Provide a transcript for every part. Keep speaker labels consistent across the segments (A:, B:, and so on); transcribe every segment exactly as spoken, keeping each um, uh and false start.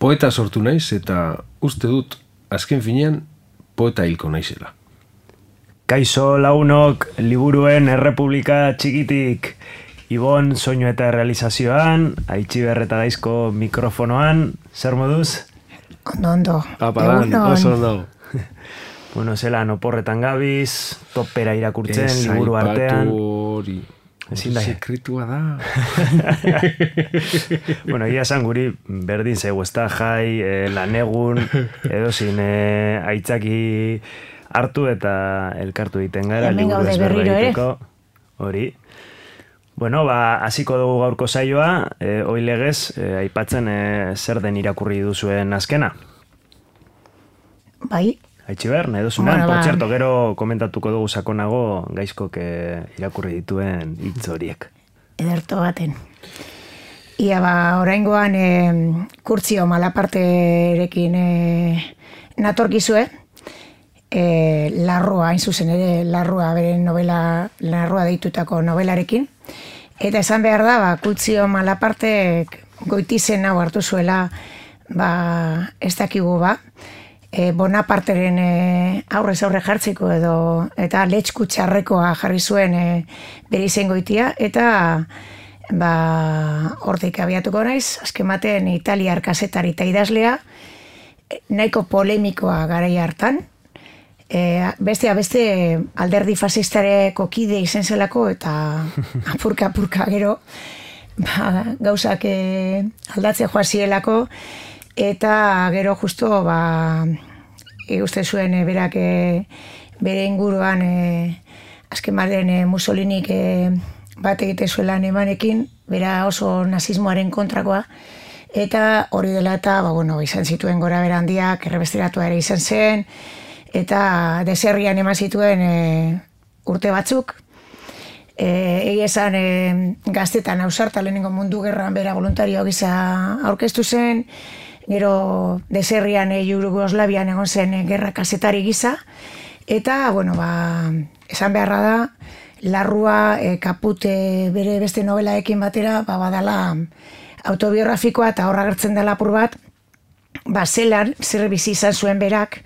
A: poeta sortu naiz eta uste dut azken finean poeta hilko naizela.
B: Kaixo lagunok, liburuen errepublika txikitik, Ibon soinu eta realizazioan, Aitziber eta Gaizko mikrofonoan, zer moduz?
C: Ondo, ondo.
A: Apadan, oso ondo.
B: Bueno, zelan oporretan gabiz, topera irakurtzen, liburu artean.
A: Ez hori, sekretua da.
B: Bueno, ia esan guri berdin zego, ez da jai, eh, lanegun, edo zin eh, aitzaki hartu eta elkartu egiten gara, liburu ezberra egiteko. Hori. Bueno, ba, hasiko dugu gaurko saioa, eh, hoi legez, eh, aipatzen eh, zer den irakurri duzuen azkena.
C: Bai.
B: Aitziber, nahi duzunan, bueno, por txerto, gero komentatuko dugu sakonago Gaizkok irakurri dituen hitz horiek.
C: Ederto baten. Ia ba, oraingoan e, kurtzio malaparterekin e, natorkizue, e, larrua, hain zuzen ere, larrua, bere novela, larrua deitutako novelarekin. Eta esan behar da, ba, kurtzio malapartek goitizen hau hartu zuela, ba, ez dakigu ba, E, Bonaparteren e, aurrez aurre jartzeko edo eta letxku txarrekoa jarri zuen e, bere izen goitia eta ba, hortik abiatuko naiz, azken batean italiar kazetari eta idazlea nahiko polemikoa garai hartan, e, bestea beste alderdi fasistareko kide izen zelako eta apurka apurka gero ba, gauzak e, aldatze joazielako. Eta gero justo, ba, e, uste zuen e, berak e, bere inguruan e, azken baden e, Mussolinik e, bat egite zuela emanekin, bera oso nazismoaren kontrakoa, eta hori dela eta, ba, bueno, izan zituen gora bera handiak, errebesteratua ere izan zen, eta deserrian eman zituen e, urte batzuk, e, egia esan e, gaztetan ausarta lehenengo mundu gerran bera voluntario gisa aurkeztu zen, gero deserrian e, Jugoslavian egon zen e, gerra kazetari gisa, eta, bueno, ba, esan beharra da, larrua e, kapute bere beste novelaekin batera, ba, badala autobiografikoa eta horra gertzen dela apur bat, ba, zelan, zer bizi izan zuen berak,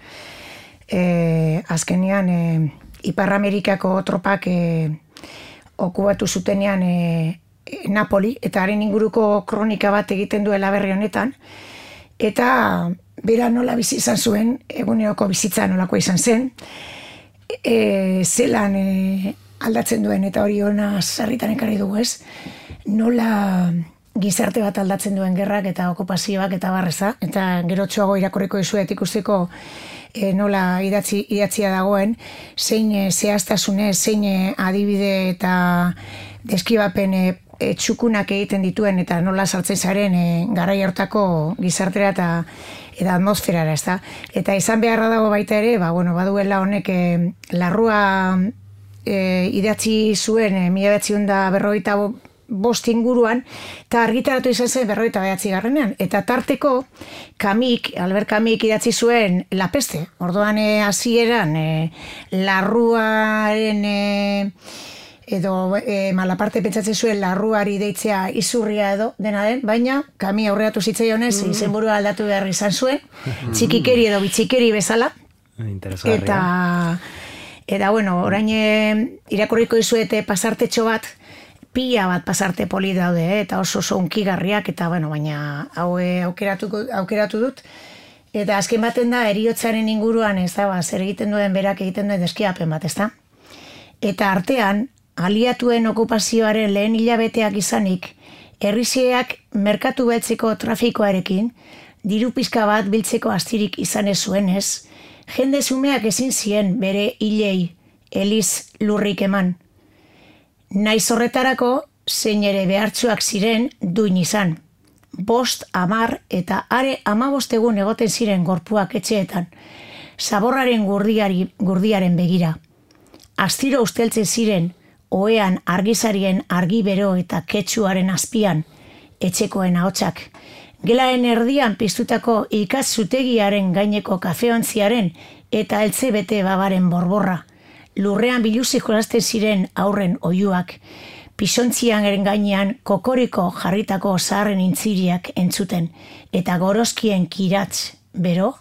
C: e, azkenean, e, Ipar Amerikako tropak e, okupatu zutenean e, e, Napoli, eta haren inguruko kronika bat egiten duela berri honetan, eta bera nola bizi izan zuen, eguneroko bizitza nolako izan zen, e, zelan e, aldatzen duen, eta hori hona sarritan ekarri dugu ez, nola gizarte bat aldatzen duen gerrak eta okupazioak eta barreza, eta gero txoago irakurriko dizuet ikusteko e, nola idatzi, idatzia dagoen, zein e, zehaztasunez, zein e, adibide eta deskibapen e, E, txukunak egiten dituen eta nola sartzen zaren e, garai hartako gizartera eta, eta atmosferara, ez da? Eta izan beharra dago baita ere, ba, bueno, baduela honek e, larrua e, idatzi zuen e, mila bederatziehun eta berrogeita bost inguruan, eta argitaratu izan zen berrogeita bederatzi garrenean. Eta tarteko, Kamik, Albert Kamik idatzi zuen La Peste. Orduan e, hasieran e, larruaren... E, edo e, malaparte pentsatzen zuen larruari deitzea izurria edo dena den, baina Kami aurreatu zitzaionez mm. izenburua aldatu behar izan zuen, txikikeri edo bitxikeri bezala. Eta, eta bueno, orain irakurriko dizuete pasartetxo bat, pila bat pasarte poli daude, eh? Eta oso oso unkigarriak, eta bueno, baina hau aukeratu, aukeratu dut. Eta azken baten da, heriotzaren inguruan, ez da, ba, zer egiten duen berak egiten duen deskiapen bat, ez da? Eta artean, aliatuen okupazioaren lehen hilabeteak izanik, herrizeak merkatu beltzeko trafikoarekin, diru pizka bat biltzeko astirik izan ez zuenez, jende zumeak ezin zien bere hilei eliz lurrik eman. Naiz horretarako, zein ere behartsuak ziren duin izan. Bost, amar eta are amabost egun egoten ziren gorpuak etxeetan, zaborraren gurdiari, gurdiaren begira. Astiro usteltzen ziren, oean argizarien argi bero eta ketxuaren azpian, etxekoen ahotsak. Gelaren erdian piztutako ikatzutegiaren gaineko kafeontziaren eta eltze bete babaren borborra. Lurrean biluzik jolasten ziren aurren oiuak. pisontzian gainean kokoriko jarritako zaharren intziriak entzuten, eta gorozkien kiratz, bero,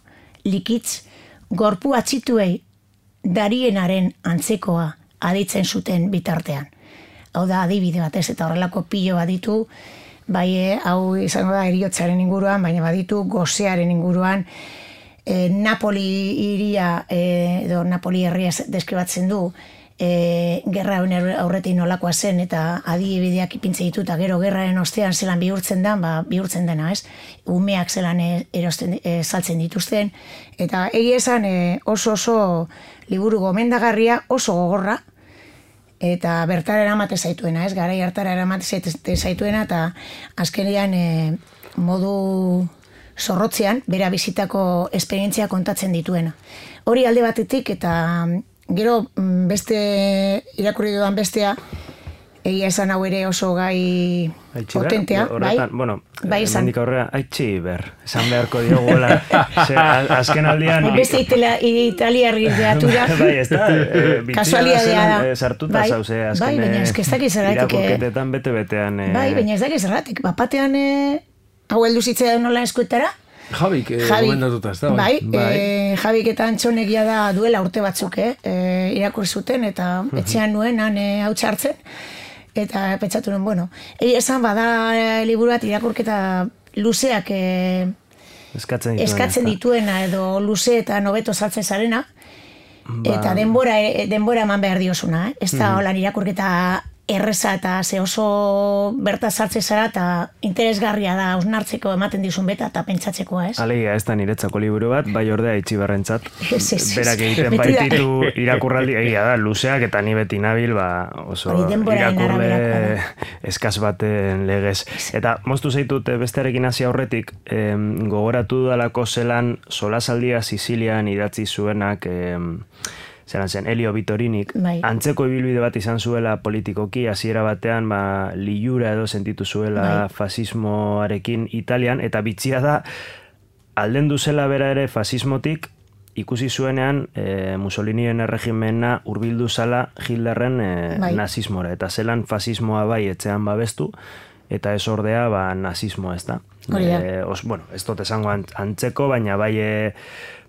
C: likitz, gorpu atxituei darienaren antzekoa aditzen zuten bitartean. Hau da adibide batez, eta horrelako pilo baditu, bai, hau izango da heriotzaren inguruan, baina baditu gozearen inguruan, e, Napoli iria, e, edo Napoli herria deskribatzen du, e, gerra aurretik nolakoa zen, eta adibideak ipintze ditu, eta gero gerraren ostean zelan bihurtzen da, ba, bihurtzen dena, ez? Umeak zelan erosten, e, saltzen dituzten, eta egia esan e, oso oso liburu gomendagarria, oso gogorra, eta bertara eramate zaituena, ez? Garai hartara eramate zaituena, eta azkenean e, modu zorrotzean, bera bizitako esperientzia kontatzen dituena. Hori alde batetik, eta gero beste, irakurri dudan bestea, egia esan hau ere oso gai potentea, bai?
B: Bueno, mendik aurrera, haitxi ber, esan beharko diogola, azken aldian...
C: Beste italiarri deatura,
B: bai, ez da,
C: kasualidadea da.
B: Sartuta zauze, azken
C: bai, baina ez ez dakiz zerratik.
B: Irakurketetan bete-betean...
C: Bai, baina ez dakiz zerratik, bapatean hau heldu zitzea nola eskuetara,
A: Javik gomendatuta, ez da?
C: Bai, Javik eta Antxonegia da duela urte batzuk, irakurri zuten, eta etxean nuen, han hau txartzen, eta pentsatu nuen, bueno, esan bada liburu bat irakurketa luzeak eskatzen dituena, edo luze eta nobeto saltzen zarena, eta denbora eman behar diosuna, ez da holan irakurketa erreza eta ze oso berta sartze zara eta interesgarria da hausnartzeko ematen dizun beta eta pentsatzekoa, ez?
B: Alegia, ez da niretzako liburu bat, bai ordea itxiberrentzat. Berak egiten baititu irakurraldi, egia da, luzeak eta ni beti nabil, ba, oso irakurle eskaz baten legez. Eta moztu zaitut bestearekin hasi aurretik, gogoratu dalako zelan solasaldia Sizilian idatzi zuenak, zelan zen, Elio Vitorinik, antzeko ibilbide bat izan zuela politikoki, hasiera batean, ba, liura edo sentitu zuela fasismoarekin Italian, eta bitxia da, aldendu zela bera ere fasismotik, ikusi zuenean e, Mussolinien erregimena hurbildu zala Hitlerren e, nazismora, eta zelan fasismoa bai etxean babestu, eta ez ordea ba, nazismoa ez da. E, os, bueno, ez dut esango antzeko, baina bai... E,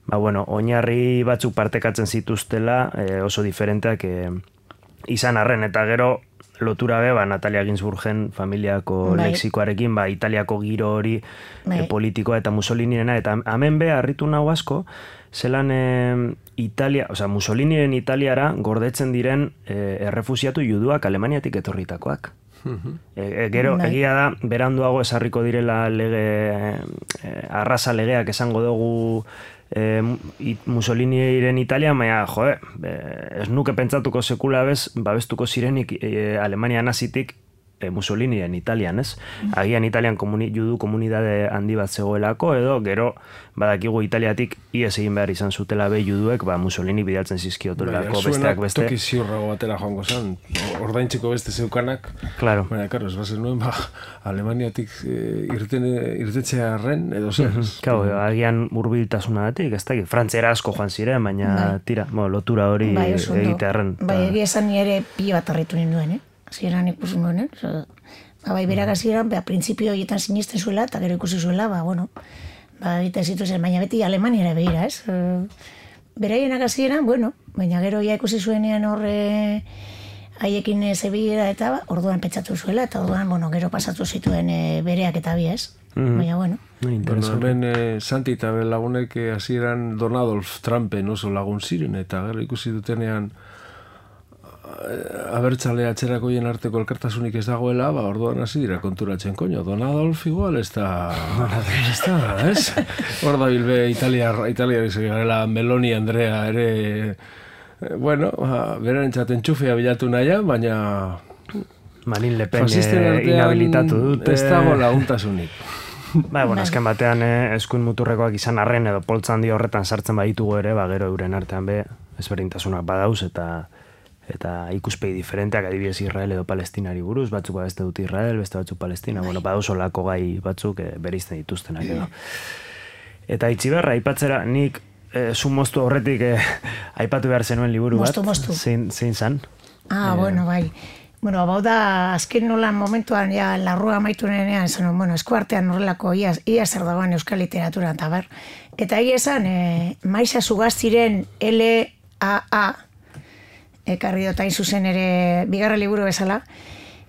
B: Ba, bueno, oinarri batzuk partekatzen zituztela eh, oso diferenteak eh, izan arren, eta gero lotura be, ba, Natalia Ginsburgen familiako bai. Lexikoarekin, ba, Italiako giro hori bai. eh, politikoa eta Mussolinirena, eta hemen be, harritu nahu asko, zelan eh, Italia, oza, Mussoliniren Italiara gordetzen diren eh, errefusiatu juduak Alemaniatik etorritakoak. E, e, gero, bai. Egia da, beranduago esarriko direla lege, eh, arrasa legeak esango dugu E, Mussoliniren Italia, baina, joe, ez nuke pentsatuko sekula bez, babestuko zirenik e, Alemania nazitik e, Mussoliniren Italian, ez? Agian Italian komuni, judu komunidade handi bat zegoelako, edo gero badakigu Italiatik ies egin behar izan zutela be juduek, ba Mussolini bidaltzen zizkiotulako besteak beste.
A: Toki ziurrago batera joango zen, ordaintziko beste zeukanak.
B: Claro.
A: Baina, karo, ez bazen nuen, ba, Alemaniatik e, irten, irtetzea arren, edo zer.
B: Kau, agian hurbiltasunagatik, ez da, frantzera asko joan ziren, baina bai. Tira, bo, lotura hori bai, egite arren.
C: Bai, egia esan nire pilo bat arretu ninduen, eh? Zieran ikusi nuen, eh? Ba, bai, berak azieran, ba, printzipio horietan sinisten zuela, eta gero ikusi zuela, ba, bueno, ba, egiten zituzen, baina beti Alemaniara behira, ez? Beraienak azieran, bueno, baina gero ja ikusi zuenean horre haiekin zebila eta ba, orduan pentsatu zuela, eta orduan, bueno, gero pasatu zituen e, bereak eta bi, ez? Mm-hmm. Baina, bueno.
A: Bueno, hemen eh, Santi eta lagunek hasieran Don Adolf Trumpen oso lagun ziren, eta gero ikusi dutenean abertzale atzerakoien arteko elkartasunik ez dagoela, ba, orduan hasi dira konturatzen, koño, Don Adolf igual ez da, ez da, ez? Hor da bilbe Italiar, Italiar izan garela Meloni Andrea ere, eh, bueno, ba, beren txaten txufea bilatu nahian, baina...
B: Marine Le Pen inhabilitatu dute.
A: Ez dago laguntasunik.
B: Ba, bueno, azken batean eh, eskuin muturrekoak izan arren edo poltza handi horretan sartzen baditugu ere, ba, gero euren artean be, ezberdintasunak badauz eta eta ikuspegi diferenteak, adibidez Israel edo Palestinari buruz, batzuk beste dut Israel, beste batzuk Palestina, bueno, badauz olako gai batzuk eh, berizten dituztenak edo. Eta itxiberra, aipatzera, nik eh, zu moztu horretik eh, aipatu behar zenuen liburu bat.
C: Moztu, moztu.
B: Zein, zein zan?
C: Ah, eh, bueno, bai. bueno, bau da, azken nolan momentuan, ja, larrua amaitu nenean, esan, bueno, eskuartean horrelako, ia, ia zer dagoen euskal literatura, eta ber. Eta egia esan, e, Maisa Sugaztiren L A A, ekarri dotain zuzen ere, bigarra liburu bezala,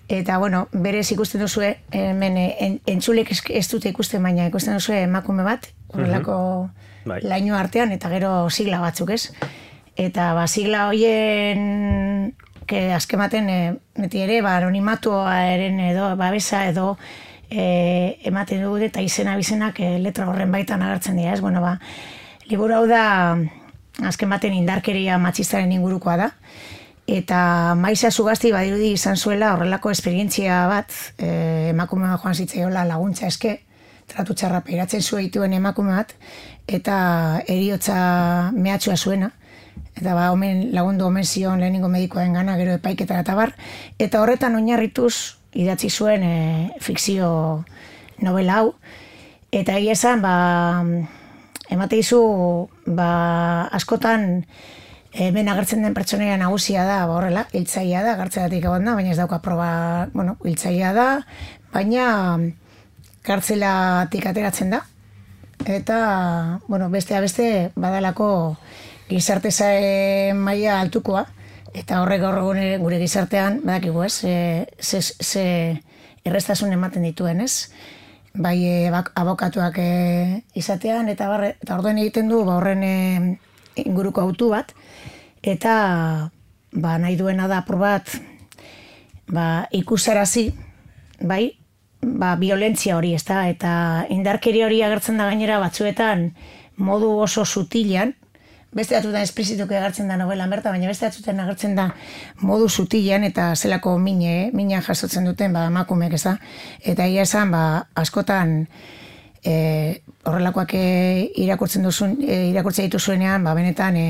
C: eta, bueno, berez ikusten duzue, hemen, en, entzulek ez dute ikusten, baina ikusten duzue emakume bat, horrelako bai. Laino artean, eta gero sigla batzuk, ez? Eta, ba, sigla hoien... que azkematen e, beti ere, ba, anonimatuaren edo, babesa edo e, ematen dugu eta izena bizenak e, letra horren baitan agertzen dira, ez? Bueno, ba, liburu hau da azkematen indarkeria matxistaren ingurukoa da, eta Maisa Sugazti badirudi izan zuela horrelako esperientzia bat, e, emakume joan zitzaiola laguntza eske, tratu txarra peiratzen zueituen emakume bat, eta heriotza mehatxua zuena, eta ba, omen, lagundu omen zion lehenengo medikoen gana, gero epaiketara eta bar, eta horretan oinarrituz idatzi zuen e, fikzio novela hau, eta egia esan, ba, emate izu, ba, askotan hemen agertzen den pertsonaia nagusia da, ba, horrela, hiltzailea da, gartzelatik egon da, baina ez dauka proba, bueno, hiltzailea da, baina kartzelatik ateratzen da, eta, bueno, bestea beste badalako gizarte zae maila altukoa, eta horrek gaur egun gure gizartean, badakigu ez, ze, ze errestasun ematen dituen ez, bai e, bak, abokatuak e, izatean, eta, barre, eta orduen egiten du ba, horren e, inguruko autu bat, eta ba, nahi duena da apur bat ba, ikusarazi, bai, ba, violentzia hori, ez da, eta indarkeria hori agertzen da gainera batzuetan modu oso sutilan, beste batzutan esplizituko agertzen da novela berta, baina beste batzutan agertzen da modu sutilan eta zelako mine, minean jasotzen duten ba, emakumeek, ez da. Eta egia esan, ba, askotan e, horrelakoak e, irakurtzen duzun, e, irakurtzen dituzuenean, ba, benetan e,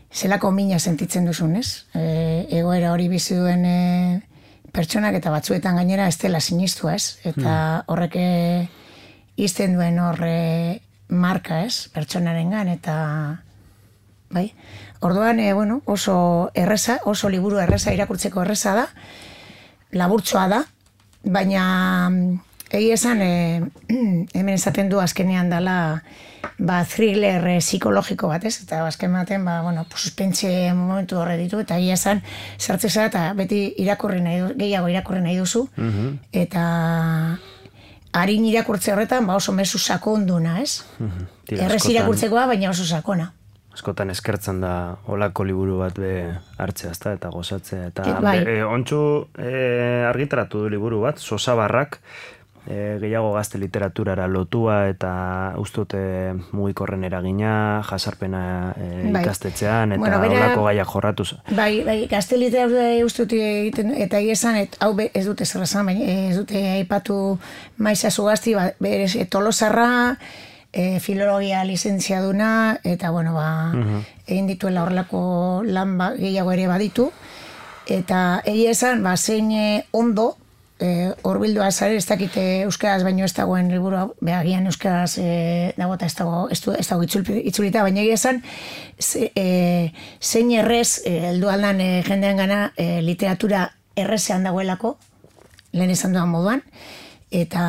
C: zelako mina sentitzen duzun, ez? E, egoera hori bizi duen e, pertsonak eta batzuetan gainera ez dela sinistua, ez? Eta horrek izten duen horre marka, ez? Pertsonarengan eta bai. Orduan, e, bueno, oso erreza, oso liburu erreza irakurtzeko erreza da, laburtsoa da, baina egia esan, e, hemen esaten du azkenean dela ba, thriller e, psikologiko bat, ez? Eta azken baten, ba, bueno, suspentse momentu horre ditu, eta egia esan, sartzeza eta beti irakurri nahi du, gehiago irakurri nahi duzu, uh-huh. eta harin irakurtze horretan, ba, oso mezu sakonduna, ez? Uh-huh. Errez irakurtzekoa, baina oso sakona.
B: Askotan eskertzen da olako liburu bat be hartzea, ezta, eta gozatzea. Eta
C: e, bai.
B: e, ontsu e, argitaratu du liburu bat, Sosabarrak, e, gehiago gazte literaturara lotua eta ustute mugikorren eragina, jasarpena e, bai. Ikastetxean, eta bueno, bera, olako gaiak jorratuz.
C: Bai, bai, gazte literatura ustute egiten, eta esan, et, hau be, ez dute zerrazan, baina ez dute aipatu Maisa Sugazti, ba, berez, Tolosarra, E, filologia lizentziaduna, eta, bueno, ba, uh-huh. egin dituela horrelako lan ba, gehiago ere baditu, eta egia esan, ba, zein ondo, horbildua e, zare, ez dakite euskaraz baino ez dagoen liburu, behagian euskaraz e, dago eta ez dago, ez dago itzulita, baina egia esan, ze, e, zein errez, e, heldu aldan e, jendean gana, e, literatura errezean dagoelako, lehen esan duan moduan, eta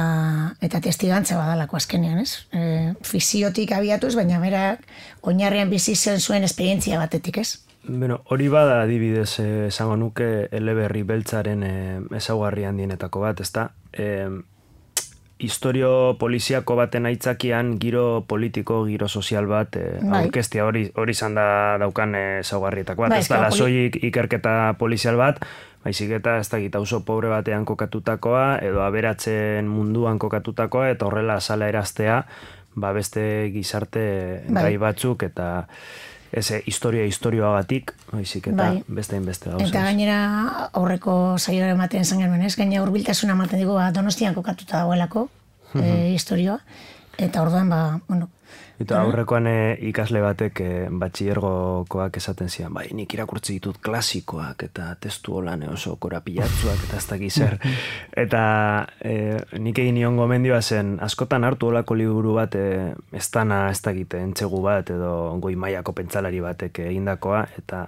C: eta testigantza badalako azkenean, ez? E, fiziotik abiatuz, baina bera oinarrian bizi zen zuen esperientzia batetik, ez?
B: Bueno, hori bada adibidez esango nuke eleberri beltzaren e, ezaugarri handienetako bat, ezta? E, historio poliziako baten aitzakian giro politiko, giro sozial bat e, bai. Aurkeztia hori hori izan da daukan ezaugarrietako bat, bai, ez da lasoik ikerketa polizial bat, baizik eta ez dakit oso pobre batean kokatutakoa, edo aberatzen munduan kokatutakoa, eta horrela azala eraztea, ba beste gizarte bai. Gai batzuk, eta eze historia historioagatik, baizik eta bai. Beste inbeste gauza.
C: Eta gainera aurreko saioa ematen zen genuen, ez? Gainera hurbiltasuna ematen digu, ba, Donostian kokatuta dagoelako uh-huh. e, historioa, eta orduan, ba, bueno,
B: Eta aurrekoan e, ikasle batek e, batxillergokoak esaten zian, bai, nik irakurtzi ditut klasikoak eta testu holan oso korapilatzuak eta ez dakiz zer. Eta e, nik egin nion gomendioa zen, askotan hartu olako liburu bat e, ez dana ez dakite entzegu bat edo goi mailako pentsalari batek egindakoa, eta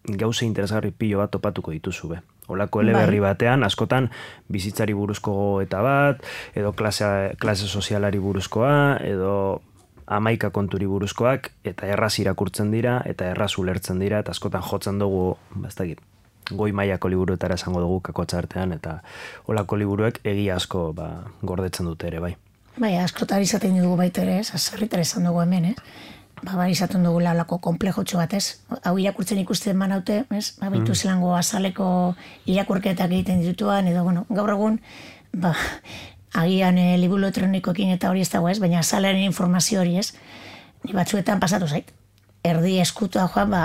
B: gauza interesgarri pilo bat topatuko dituzu be. Olako eleberri batean, askotan bizitzari buruzko eta bat, edo klase, klase sozialari buruzkoa, edo amaika konturi buruzkoak, eta erraz irakurtzen dira, eta erraz ulertzen dira, eta askotan jotzen dugu, bastakit, goi mailako liburuetara esango dugu kakotxa artean, eta olako liburuek egia asko ba, gordetzen dute ere, bai.
C: Bai, askotan izaten dugu baita ere, ez, azarritar esan dugu hemen, ez? Ba, bai, izaten dugu lalako komplejotxo bat, ez? Hau irakurtzen ikusten banaute, ez? Ba, baitu mm. zelango azaleko irakurketak egiten ditutuan, edo, bueno, gaur egun, ba, agian e, liburu elektronikoekin eta hori ez dago, ez? Baina azalaren informazio hori, ez? Ni batzuetan pasatu zait. Erdi eskutua joan, ba,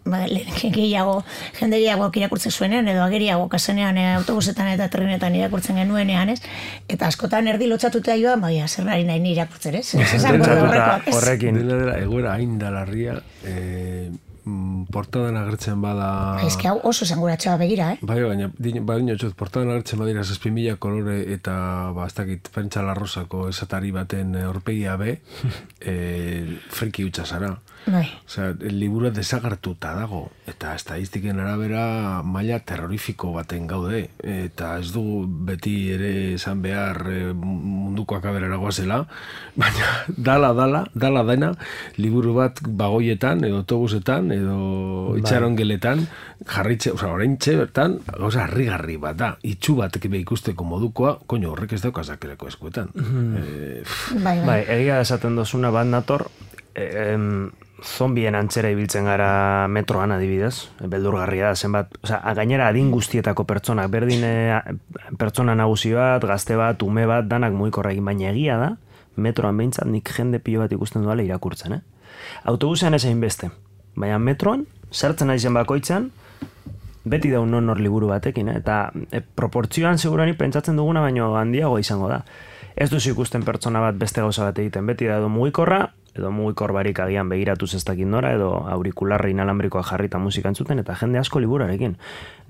C: ba gehiago, jende gehiago irakurtzen zuenean, edo ageriago kasenean e, autobusetan eta trenetan irakurtzen genuenean, ez? Eta askotan erdi lotxatuta joan, baina zer nari nahi ni irakurtzen, ez?
B: Horrekin.
A: Dela dela, egoera hain dalarria, eh, portadan agertzen bada...
C: Ez que hau oso zanguratxoa begira, eh?
A: Bai, baina, baina txot, portadan agertzen badira zazpi mila kolore eta, ba, ez dakit, pentsa larrosako esatari baten aurpegia be, eh, friki utxa zara.
C: Bai.
A: Osea, el liburu desagertuta dago, eta estadistiken arabera maila terrorifiko baten gaude, eta ez dugu beti ere esan behar munduko akaberara goazela, baina dala, dala, dala dena, liburu bat bagoietan, edo autobusetan, edo itxarongeletan, jarritxe, osea, oraintxe bertan, gauza harrigarri bat da, itxu batek be ikusteko modukoa, koño, horrek ez daukazakeleko eskuetan.
C: Mm-hmm.
A: eh,
C: bai,
B: bai, egia esaten dozuna bat nator, em, zombien antzera ibiltzen gara metroan adibidez, beldurgarria da, zenbat, osea, gainera adin guztietako pertsonak, berdin pertsona nagusi bat, gazte bat, ume bat, danak mugikorra egin, baina egia da, metroan behintzat nik jende pilo bat ikusten duela irakurtzen, eh? Autobusean ez egin beste, baina metroan, sartzen aizen bakoitzan, beti daun non hor liburu batekin, eh? Eta e, proportzioan segurani pentsatzen duguna, baino handiago izango da. Ez duzu ikusten pertsona bat beste gauza bat egiten, beti da edo mugikorra, edo mugikor barik agian begiratuz ez dakit nora, edo aurikularra inalambrikoa jarrita musika entzuten, eta jende asko liburarekin.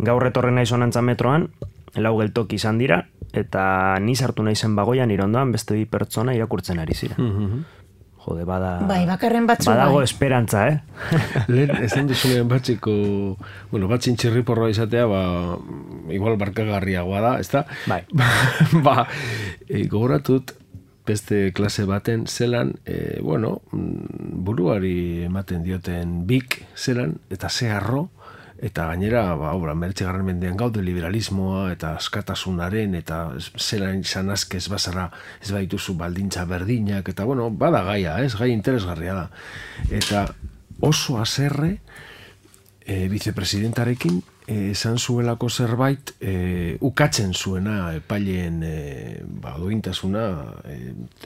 B: Gaur etorren naiz honantza metroan, lau geltoki izan dira, eta ni sartu naizen bagoian irondoan beste bi pertsona irakurtzen ari ziren.
A: Mm-hmm.
B: Jode, bada...
C: Bai, bakarren batzu
B: badago
C: bai.
B: esperantza, eh?
A: Lehen, esan duzunean batxiko, bueno, batxin txirriporroa izatea, ba, igual barkagarriagoa da, ez da?
B: Bai.
A: ba, e, gogoratut, beste klase baten zelan, e, bueno, buruari ematen dioten bik zelan, eta zeharro, eta gainera, ba, obra, meretxegarren mendean gaude liberalismoa, eta askatasunaren, eta zelan izan azkez bazara, ez baituzu baldintza berdinak, eta bueno, bada gaia, ez, gai interesgarria da. Eta oso haserre, e, vicepresidentarekin, esan zuelako zerbait e, ukatzen zuena epaileen e, ba, duintasuna e,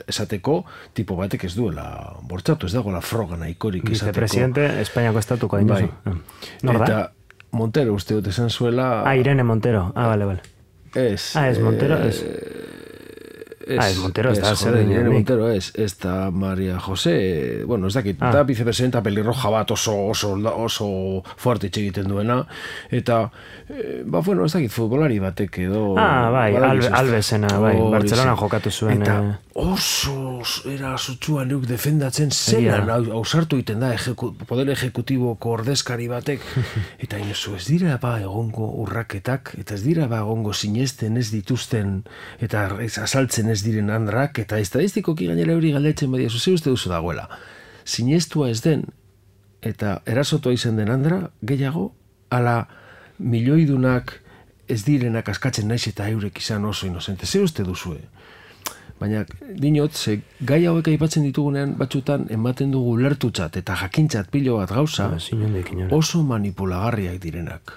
A: esateko tipo batek ez duela bortzatu, ez dagoela froga nahikorik esateko.
B: Vicepresidente Espainiako estatuko hain duzu.
A: Bai. Eta Montero uste dut esan zuela...
B: Ah, Irene Montero. Ah, vale, vale.
A: Ez.
B: Ah, ez Montero, ez.
A: Es,
B: ah, es Montero, ez da zer
A: Irene Montero, ez, ez da Maria José, bueno, ez dakit, ah. da vicepresidenta pelirroja bat oso, oso, oso fuerte egiten duena, eta, eh, ba, bueno, ez dakit, futbolari batek edo...
B: Ah, bai, albe, albezena, bai, Bartzelona jokatu zuen.
A: Eta
B: eh...
A: oso era sutsua neuk defendatzen zelan, hausartu egiten da, ejeku, poder ejekutiboko ordezkari batek, eta inozu, ez dira ba egongo urraketak, eta ez dira ba egongo sinesten ez dituzten, eta ez azaltzen ez diren andrak, eta estadistikoki gainera hori galdetzen badia, ze uste duzu dagoela. Sinestua ez den, eta erasotua izan den andra, gehiago, ala milioidunak ez direnak askatzen naiz eta eurek izan oso inozente. Ze uste duzue? Baina, dinot, ze gai hauek aipatzen ditugunean batzutan ematen dugu lertutzat eta jakintzat pilo bat gauza, oso manipulagarriak direnak.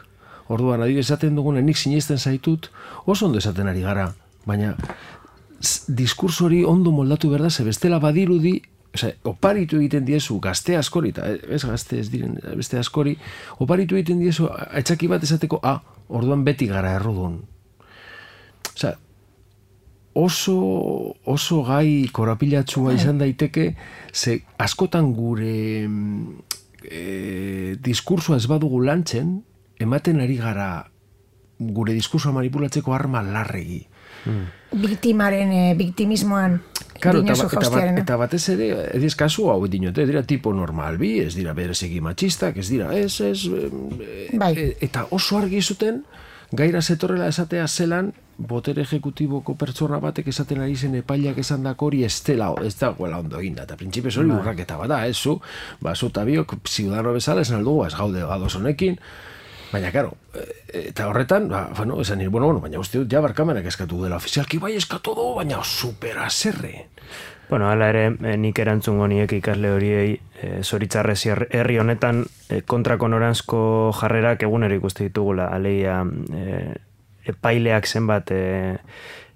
A: Orduan, adibidez esaten dugunen nik sinesten zaitut, oso ondo esaten ari gara, baina diskurso hori ondo moldatu behar da, ze bestela badirudi, oza, oparitu egiten diezu gazte askori, eta ez gazte ez diren beste askori, oparitu egiten diezu aitzaki bat esateko, ah, orduan beti gara errudun. Oza, oso, oso gai korapilatsua izan daiteke, ze askotan gure e, diskursoa ez badugu lantzen, ematen ari gara gure diskursoa manipulatzeko arma larregi.
C: biktimaren, e, biktimismoan
A: Claro,
C: dinosu
A: eta, eta,
C: jaustearena.
A: eta batez ere, ediz kasu hau dinote, dira tipo normal bi, ez dira berezegi matxistak, ez dira, ez, ez, e,
C: Bai.
A: e, eta oso argi zuten, gaira zetorrela esatea zelan, botere ejekutiboko pertsona batek esaten ari zen epailak esan dako hori ez dela, ez dagoela ondo eginda, eta printzipioz hori urraketa bada, ez zu, ba, zu eta biok, ziudadano bezala esan aldugu, ez gaude gadoz honekin, baina, karo, eta horretan, ba, bueno, esan nire, bueno, bueno, baina uste dut, ja barkamenak eskatu dela, ofizialki bai eskatu du, baina supera zerre.
B: Bueno, hala ere, eh, nik erantzungo niek ikasle horiei, eh, zoritzarrez herri honetan eh, kontrako noranzko jarrerak egunero ikuste ditugula, aleia eh, epaileak zenbat eh,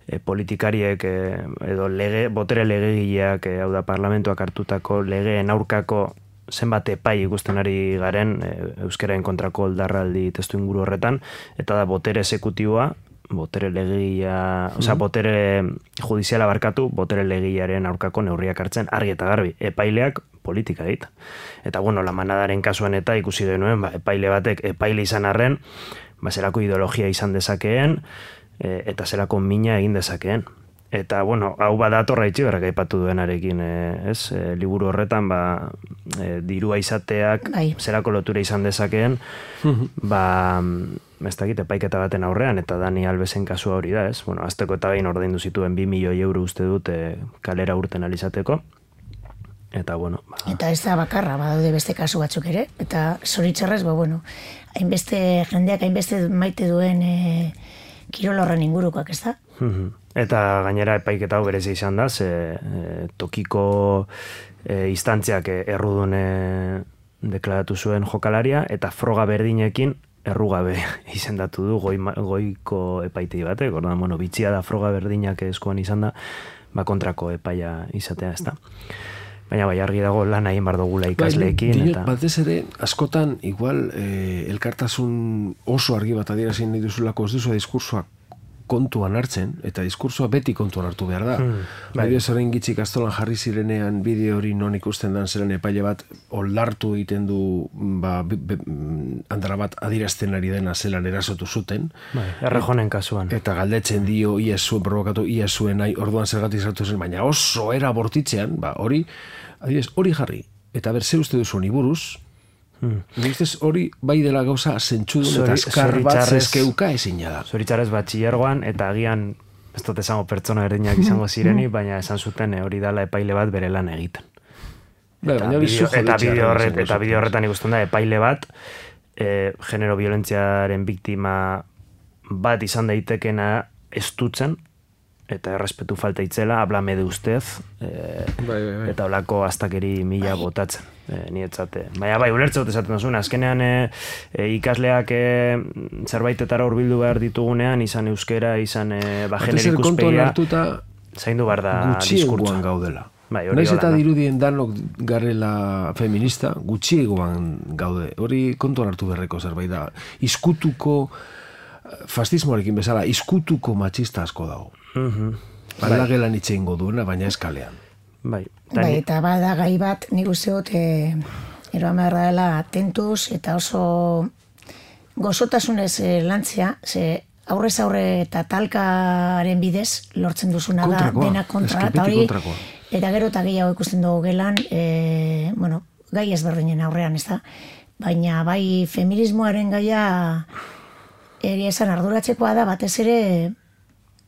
B: eh, politikariek eh, edo lege, botere legegileak, eh, hau da parlamentuak hartutako legeen aurkako zenbat epai ikusten ari garen e, euskaraen kontrako oldarraldi testu inguru horretan, eta da botere exekutiboa, botere legia, mm. osea, botere judiziala barkatu, botere legiaren aurkako neurriak hartzen, argi eta garbi, epaileak politika dit. Eta bueno, la manadaren kasuan eta ikusi denuen, ba, epaile batek epaile izan arren, ba, zerako ideologia izan dezakeen, e, eta zerako mina egin dezakeen. Eta, bueno, hau badatorra itxiberrak aipatu duenarekin, e, ez? E, liburu horretan, ba, e, dirua izateak, bai. Zerako lotura izan dezakeen, ba, ez dakit, epaiketa baten aurrean, eta Dani Albesen kasua hori da, ez? Bueno, azteko eta behin ordaindu zituen bi milioi euro uste dut e, kalera urten alizateko. Eta, bueno... Ba...
C: Eta ez da bakarra, badaude beste kasu batzuk ere, eta zoritzarrez, ba, bueno, hainbeste, jendeak hainbeste maite duen e, kirol horren ingurukoak, ez da?
B: Eta gainera epaiketa hau berezi izan da, ze e, tokiko e, instantziak errudun e, deklaratu zuen jokalaria, eta froga berdinekin errugabe izendatu du goi, goiko epaitei batek, ordan, bueno, bitxia da froga berdinak eskuan izan da, ba kontrako epaia izatea, ez da. Baina bai, argi dago lan egin bar dugula ikasleekin.
A: Bai,
B: eta...
A: batez ere, askotan, igual, eh, elkartasun oso argi bat adierazin nahi duzulako ez duzu diskursoak kontuan hartzen, eta diskursoa beti kontuan hartu behar da. Hmm, bai. Bideo zorein gitzik astolan jarri zirenean bideo hori non ikusten dan zeren epaile bat oldartu egiten du ba, be, be, andara bat adirazten ari dena zelan erasotu zuten.
B: Bai, errejonen kasuan.
A: Eta galdetzen dio, ia zuen, provokatu, ia zuen nahi, orduan zergatik sartu zen, baina oso era bortitzean, ba, hori, adibidez, hori jarri. Eta ber, ze uste duzu ni buruz, Hmm. hori bai dela gauza zentzudun eta azkar bat zezkeuka ezin da.
B: Zoritzarrez batxillergoan eta agian ez dut esango pertsona berdinak izango zireni, baina esan zuten hori dela epaile bat bere lan egiten.
A: Ba,
B: eta bideo bideo horret, eta bideo horretan ikusten da epaile bat e, genero violentziaren biktima bat izan daitekena estutzen eta errespetu falta itzela, hablame de ustez, e, bai, bai, bai. Eta olako astakeri mila botatzen. E, nietzate. Baina bai, ulertzot esaten duzun, azkenean e, e, ikasleak e, zerbaitetara hurbildu behar ditugunean, izan euskera, izan e, ba, genero ikuspegia, zaindu behar da diskurtza.
A: Gutxiegoan gaudela.
B: Bai,
A: Naiz eta dirudien danok garela feminista, gutxiegoan gaude. Hori kontuan hartu berreko zerbait da. Izkutuko, fascismoarekin bezala, izkutuko matxista asko dago.
B: Uh-huh.
A: Aldagelan bai. Itxe ingo duena, baina eskalean.
B: Bai,
C: bai, eta bada gai bat, nik uste dut, e, eroan behar dela tentuz, eta oso gozotasunez e, lantzea, ze aurrez aurre eta talkaren bidez lortzen duzuna da, dena kontra, eta hori, eta gero eta gehiago ikusten dugu gelan, e, bueno, gai ezberdinen aurrean, ez da? Baina bai feminismoaren gaia egia esan arduratzekoa da, batez ere,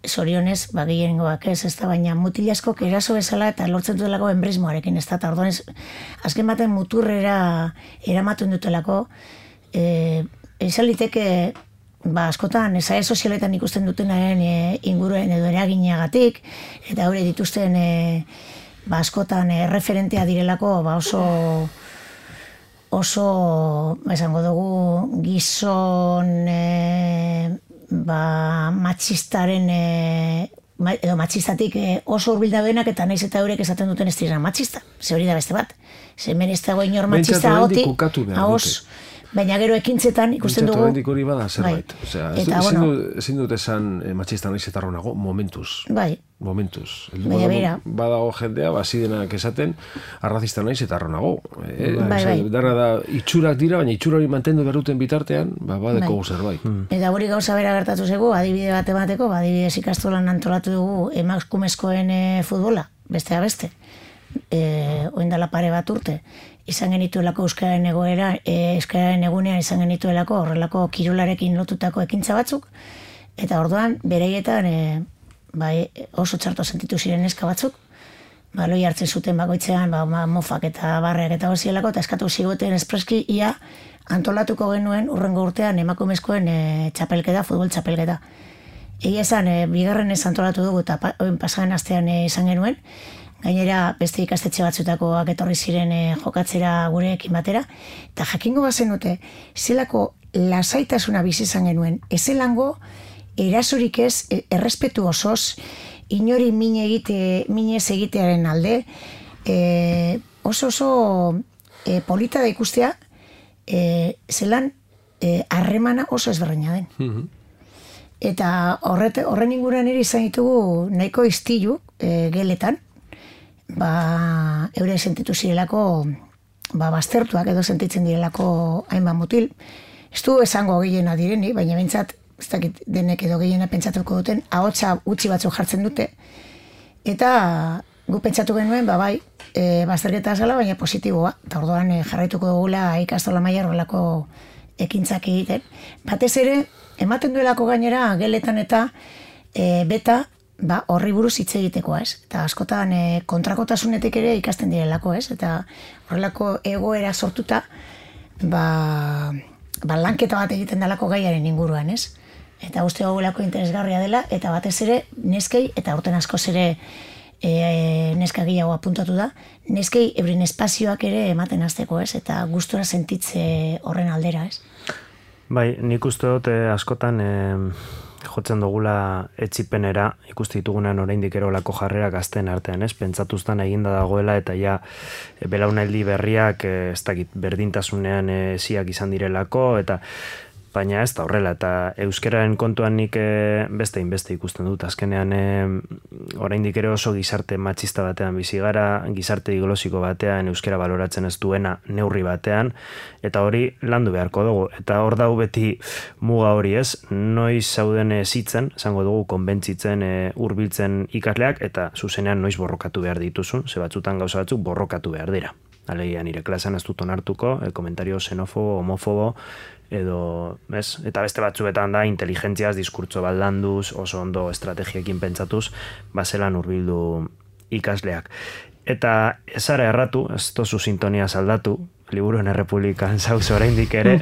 C: zorionez, ba, gehiengoak ez, ez da, baina mutil asko eraso bezala eta lortzen dutelako enbrismoarekin, ez da, eta orduan ez, azken baten muturrera eramatuen dutelako, e, izan liteke, ba, askotan, ezae sozialetan ikusten dutenaren e, inguruen edo eragineagatik, eta hori dituzten, e, ba, askotan, e, referentea direlako, ba, oso, oso, esango dugu, gizon, e, ba, matxistaren e, edo matxistatik e, oso urbilda benak eta naiz eta eurek esaten duten ez dira matxista. Ze hori da beste bat. Ze hemen ez dago inor matxista ahotik, ahos, baina gero ekintzetan ikusten dugu...
A: Pentsato hori bada zerbait. Bai. Osea, eta, ez, bueno, ezin dut esan eh, matxista naiz eta nago, momentuz.
C: Bai.
A: Momentuz.
C: Baina bera.
A: Badago jendea, bazidenak esaten, arrazista naiz eta nago. Eh,
C: bai, bai.
A: Dara da, itxurak dira, baina itxura hori mantendu berruten bitartean, ba, badeko bai. Zerbait. Hmm.
C: Eta hori gauza bera gertatu zego, adibide bat emateko, ba, adibidez ikastolan antolatu dugu emakumezkoen e, futbola, bestea beste. E, oindala pare bat urte. Izan genituelako euskararen egoera, e, euskararen egunean izan genituelako horrelako kirolarekin lotutako ekintza batzuk, eta orduan bereietan e, bai, oso txarto sentitu ziren neska batzuk, ba, loi hartzen zuten bakoitzean, ba, mofak eta barreak eta hozielako, eta eskatu zigoten espreski ia antolatuko genuen urrengo urtean emakumezkoen e, txapelketa, futbol txapelketa. Egia esan, e, bigarren ez antolatu dugu eta pa, pasaren astean e, izan genuen, gainera beste ikastetxe batzutakoak etorri ziren e, jokatzera gureekin batera, eta jakingo bazen dute, zelako lasaitasuna bizi izan genuen, ezelango erasorik ez, errespetu osoz, inori mine egite, minez egitearen alde, e, oso oso e, polita da ikustea, e, zelan harremana e, oso ezberdina den. Mm-hmm. Eta horret, horren inguruan ere izan ditugu nahiko istilu e, geletan, ba, eure sentitu zirelako ba, baztertuak edo sentitzen direlako hainbat mutil. Ez du esango gehiena direni, baina bentsat ez dakit denek edo gehiena pentsatuko duten, ahotsa utzi batzuk jartzen dute, eta gu pentsatu genuen, ba bai, e, bazterketa zela, baina positiboa, eta orduan e, jarraituko dugula ikastola mailan horrelako ekintzak egiten. Batez ere, ematen duelako gainera, geletan eta e, beta, ba, horri buruz hitz egitekoa, ez? Eta askotan e, kontrakotasunetik ere ikasten direlako, ez? Eta horrelako egoera sortuta, ba, ba lanketa bat egiten dalako gaiaren inguruan, ez? Eta uste gogulako interesgarria dela, eta batez ere neskei, eta urten askoz ere e, neska gehiago apuntatu da, neskei euren espazioak ere ematen hasteko, ez? Eta gustura sentitze horren aldera, ez?
B: Bai, nik uste dut askotan e, jotzen dugula etxipenera, ikusti ditugunan oraindik erolako jarrera gazten artean, ez? Pentsatuztan eginda dagoela, eta ja belaunaldi berriak e, ez dakit berdintasunean e, ziak izan direlako, eta baina ez da horrela, eta euskararen kontuan nik e, beste inbeste ikusten dut. Azkenean e, oraindik ere oso gizarte matxista batean bizi gara, gizarte diglosiko batean euskara baloratzen ez duena neurri batean, eta hori landu beharko dugu. Eta hor dau beti muga hori ez, noiz zauden zitzen, esango dugu konbentzitzen e, hurbiltzen ikasleak, eta zuzenean noiz borrokatu behar dituzun, ze batzutan gauza batzuk borrokatu behar dira. Alegia, nire klasean ez dut onartuko, el komentario xenofobo, homofobo, edo, ez? Eta beste batzuetan da, inteligentziaz, diskurtso ballanduz, oso ondo estrategiekin pentsatuz, bazelan hurbildu ikasleak. Eta ezara erratu, ez tozu sintonia saldatu, Liburuen Errepublikan zauz oraindik ere,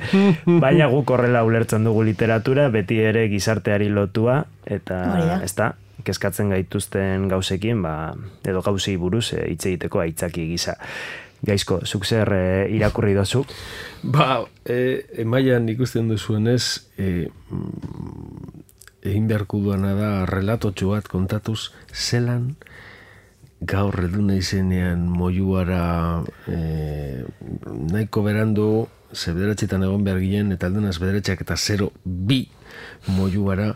B: baina guk horrela ulertzen dugu literatura, beti ere gizarteari lotua, eta ez da, kezkatzen gaituzten gauzekin, ba, edo gauzei buruz hitz egiteko aitzaki gisa. Gaizko, zuk zer e, irakurri dozu?
A: Ba, e, emaian ikusten duzuenez, e, egin beharko duana da relatotxo bat kontatuz, zelan gaur eduna izenean moiuara e, nahiko berandu, ze bederatxetan egon behar ginen, eta aldunaz bederatxeak eta zero bi moiuara,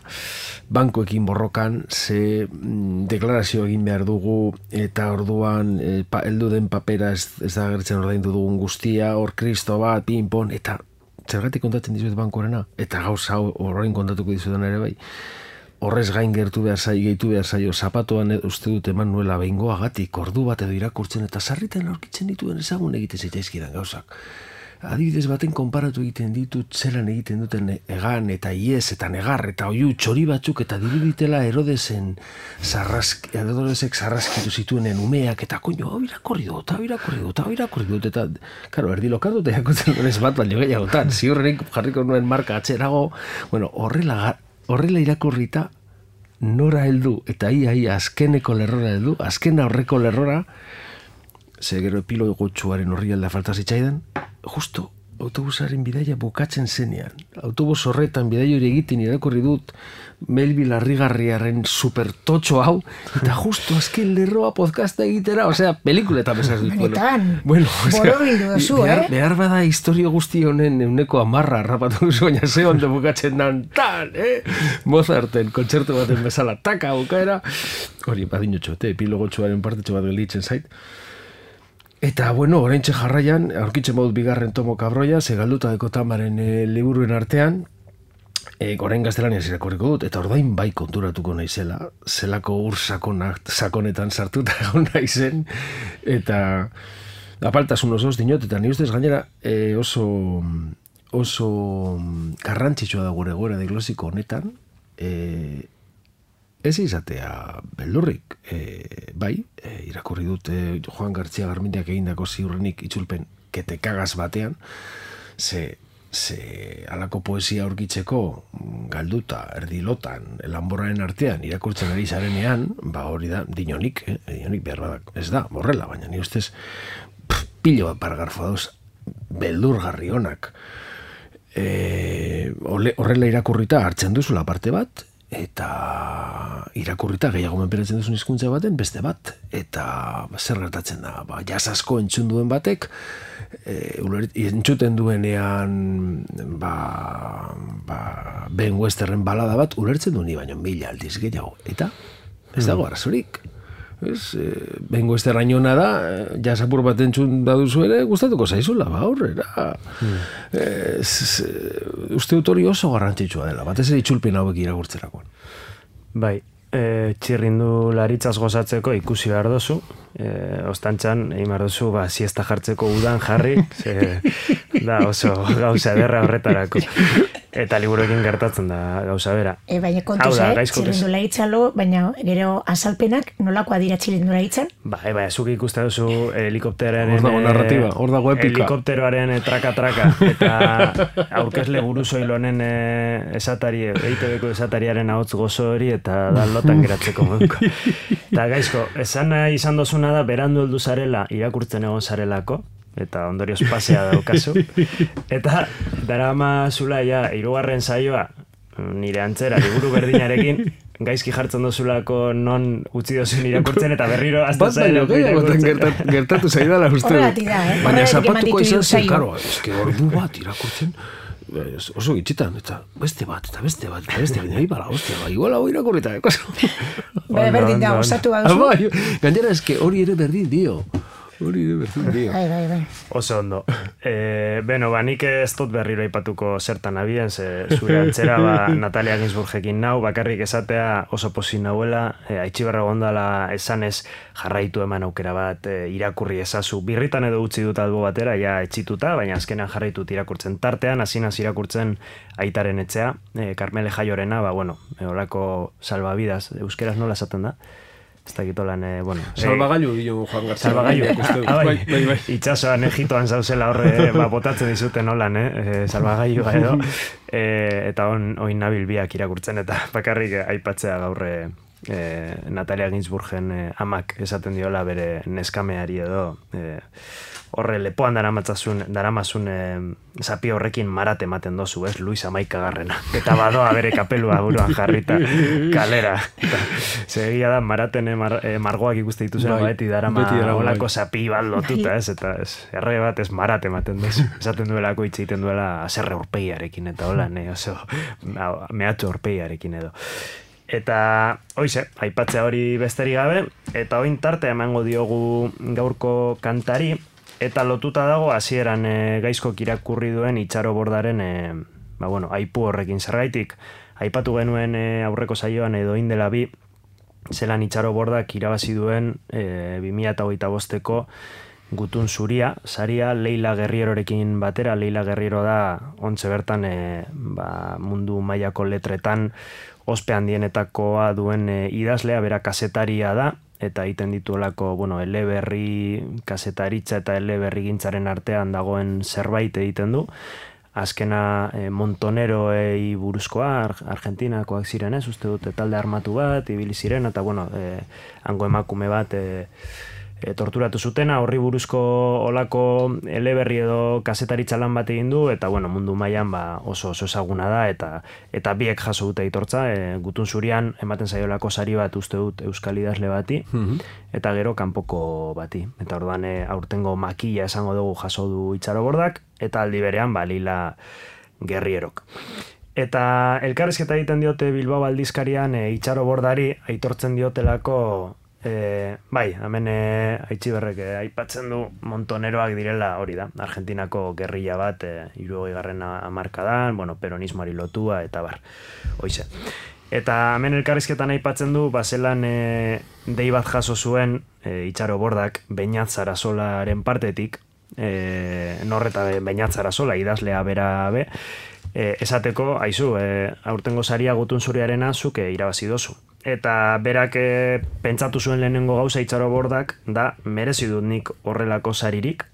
A: bankoekin borrokan, ze mm, deklarazio egin behar dugu, eta orduan e, pa, eldu den papera ez, ez da gertzen ordaindu dugun guztia, hor kristo bat, pinpon, eta zergatik kontatzen dizuet bankorena, eta gauza horrein kontatuko dizuetan ere bai, horrez gain gertu behar zai, gehitu behar zaio, zapatoan uste dut eman nuela behingoagatik, ordu bat edo irakurtzen, eta sarritan aurkitzen dituen ezagun egiten zitzaizkidan gauzak. Adibidez baten konparatu egiten ditut zelan egiten duten egan eta iez eta negar eta oiu txori batzuk eta diruditela Herodesen zarrask, Herodesek zarraskitu zituenen umeak eta koño, hau irakorri dut, hau irakorri dut, hau irakorri dut, eta, karo, erdi lokatu eta jakotzen duen ez bat baino gehiagotan, ziurrenik jarriko nuen marka atzerago, bueno, horrela, horrela irakorrita nora heldu, eta ia, ia, azkeneko lerrora heldu, azkena horreko lerrora, ze gero epilogo gotxuaren horri alda falta zitzaidan, justo autobusaren bidaia bukatzen zenean. Autobus horretan bidaia hori egiten irakurri dut Melville Arrigarriaren supertotxo hau, eta justo azken lerroa podcasta egitera, osea, pelikuletan bezaz dut.
C: Benetan, bueno, borobildu duzu,
A: behar,
C: eh?
A: Behar bada historio guzti honen euneko amarra harrapatu duzu, baina ze ondo bukatzen dan, tan, eh? Mozarten, kontzertu baten bezala, taka, bukaera. Hori, badinotxo, te, epilogotxoaren partetxo bat gelitzen zait. Eta, bueno, oraintxe jarraian, aurkitzen baut bigarren tomo kabroia, segalduta deko tamaren e, liburuen artean, e, orain gaztelaniaz irakurriko dut, eta ordain bai konturatuko naizela, zelako ur sakonak, sakonetan sartuta egon naizen, eta apaltasun osoz dinot, eta ni ustez gainera e, oso, oso garrantzitsua da gure gora diglosiko honetan, e, ez izatea beldurrik, e, bai, e, irakurri dut e, Joan Gartzia Garmendiak egindako ziurrenik itzulpen kete kagaz batean, ze, ze alako poesia aurkitzeko galduta, erdilotan, lanborraren artean irakurtzen ari zarenean, ba hori da, dinonik, eh, dinonik behar badak, ez da, borrela, baina ni ustez pff, pilo bat paragrafo dauz, beldurgarri honak, e, horrela irakurrita hartzen duzula parte bat, eta irakurrita gehiago menperatzen duzun hizkuntza baten beste bat, eta zer gertatzen da, ba, jazz asko entzun duen batek, e, entzuten duenean ba, ba, Ben Westerren balada bat ulertzen du ni baino mila aldiz gehiago, eta ez dago arazorik. Ez, e, Ben Westerrainona da, jazz apur bat entzun baduzu ere, gustatuko zaizula, ba, aurrera. Hmm. Ez, uste dut hori oso garrantzitsua dela, batez ere itzulpen hauek irakurtzerakoan.
B: Bai, e, txirrindu laritzaz gozatzeko ikusi behar dozu, e, ostantzan, egin behar dozu, ba, siesta jartzeko udan jarri, ze, da oso gauza derra horretarako. Eta liburuekin gertatzen da gauza bera.
C: E, baina kontuz, eh? Txirrindula hitzalo, baina gero azalpenak nolakoa dira txirrindula hitzan? Ba,
B: e, ba, zuk ikuste duzu helikopteroaren...
A: Hor dago narratiba, hor dago epika.
B: Helikopteroaren traka-traka, eta aurkezle buruzoilonen e, esatari, eitebeko esatariaren ahots gozo hori, eta da lotan geratzeko moduko. Eta gaizko, esan izan dozuna da, berandu heldu zarela, irakurtzen egon zarelako, eta ondorioz pasea daukazu. Eta darama zula ja, hirugarren saioa, nire antzera, liburu berdinarekin, gaizki jartzen dozulako non utzi dozun irakurtzen, eta berriro azta zaila
A: irakurtzen. Gertatu zaidala uste.
C: Horregatik da, eh?
A: Baina zapatuko izan zen, karo, ez que ordu bat irakurtzen, oso gitxitan, eta beste bat, eta beste bat, eta beste bat, nahi bala, ostia, ba, igual hau irakurrita, ekoso.
C: Berdin da, osatu baduzu.
A: Gainera, ez que hori ere berdin dio. Hori de berdin dio.
C: Bai, bai, bai.
B: Oso ondo. E, beno, ba, nik ez dut berriro aipatuko zertan abien, ze zure antzera, ba, Natalia Ginsburgekin nau, bakarrik esatea oso posin nauela, e, aitxiberra gondala esanez jarraitu eman aukera bat, e, irakurri ezazu. Birritan edo utzi dut albo batera, ja etxituta, baina azkenan jarraitut irakurtzen tartean, hasinaz irakurtzen aitaren etxea, e, Carmele Jaiorena, ba, bueno, e, olako salvavidas, euskeraz nola esaten da? Ez da gitolan, eh, bueno...
A: Salvagailu dio Juan Gartzia.
B: Salvagailu, ah, bai, bai, bai. Itxasoan Egitoan zauzela horre, eh, ba, botatzen dizuten holan, eh, salvagailu edo, eh, eta on, oin nabil biak irakurtzen, eta bakarrik aipatzea gaurre eh, Natalia Ginsburgen eh, amak esaten diola bere neskameari edo, eh, horre lepoan daramatzazun, daramazun eh, zapi horrekin marat ematen dozu, ez, Luis Amaikagarrena. Eta badoa bere kapelua buruan jarrita kalera. Segia da, maraten eh, mar, eh, margoak ikuste dituzera bai, beti darama olako zapi bat lotuta, ez, eta ez, erre bat ez marat ematen dozu. Esaten duelako hitz egiten duela aserre urpegiarekin, eta hola, ne, oso, mehatxo urpegiarekin edo. Eta, hoize, aipatzea hori besterik gabe, eta oin tarte emango diogu gaurko kantari, eta lotuta dago hasieran e, gaizkok irakurri duen Itxaro Bordaren e, ba, bueno, aipu horrekin zergaitik. Aipatu genuen e, aurreko saioan edo indela bi, zelan Itxaro Bordak irabazi duen e, bi mila hogeita bosteko Gutun Zuria, saria Leila Guerrierorekin batera. Leila Guerriero da ontze bertan e, ba, mundu mailako letretan ospe handienetakoa duen e, idazlea, bera kasetaria da, eta egiten dituelako, bueno, eleberri kasetaritza eta eleberri gintzaren artean dagoen zerbait egiten du. Azkena e, Montoneroei buruzkoa, Argentinakoak ziren ez, uste dute talde armatu bat, ibili ziren, eta bueno, e, hango emakume bat e, e, torturatu zutena, horri buruzko olako eleberri edo kasetaritza lan bat egin du, eta bueno, mundu mailan ba, oso oso ezaguna da, eta eta biek jaso dute aitortza, e, Gutun Zurian ematen zaiolako sari bat uste dut euskal idazle bati, mm-hmm. eta gero kanpoko bati. Eta orduan e, aurtengo makila esango dugu jaso du Itxarobordak, eta aldi berean ba, Lila Gerrierok. Eta elkarrizketa egiten diote Bilbao aldizkarian e, Itxarobordari aitortzen diotelako E, bai, hemen e, Aitziberrek e, aipatzen du montoneroak direla hori da, Argentinako gerrilla bat e, hirurogeigarren hamarkadan, bueno, peronismoari lotua eta bar, hoize. Eta hemen elkarrizketan aipatzen du, bazelan e, dei bat jaso zuen e, Itxarobordak Beñat Sarasolaren partetik, e, norreta Beñat Sarasola idazlea bera be, e, esateko, aizu, e, aurtengo saria Gutun Zuriarena zuk e, irabazi dozu. Eta berak e, pentsatu zuen lehenengo gauza Itxarobordak da merezi dut nik horrelako saririk.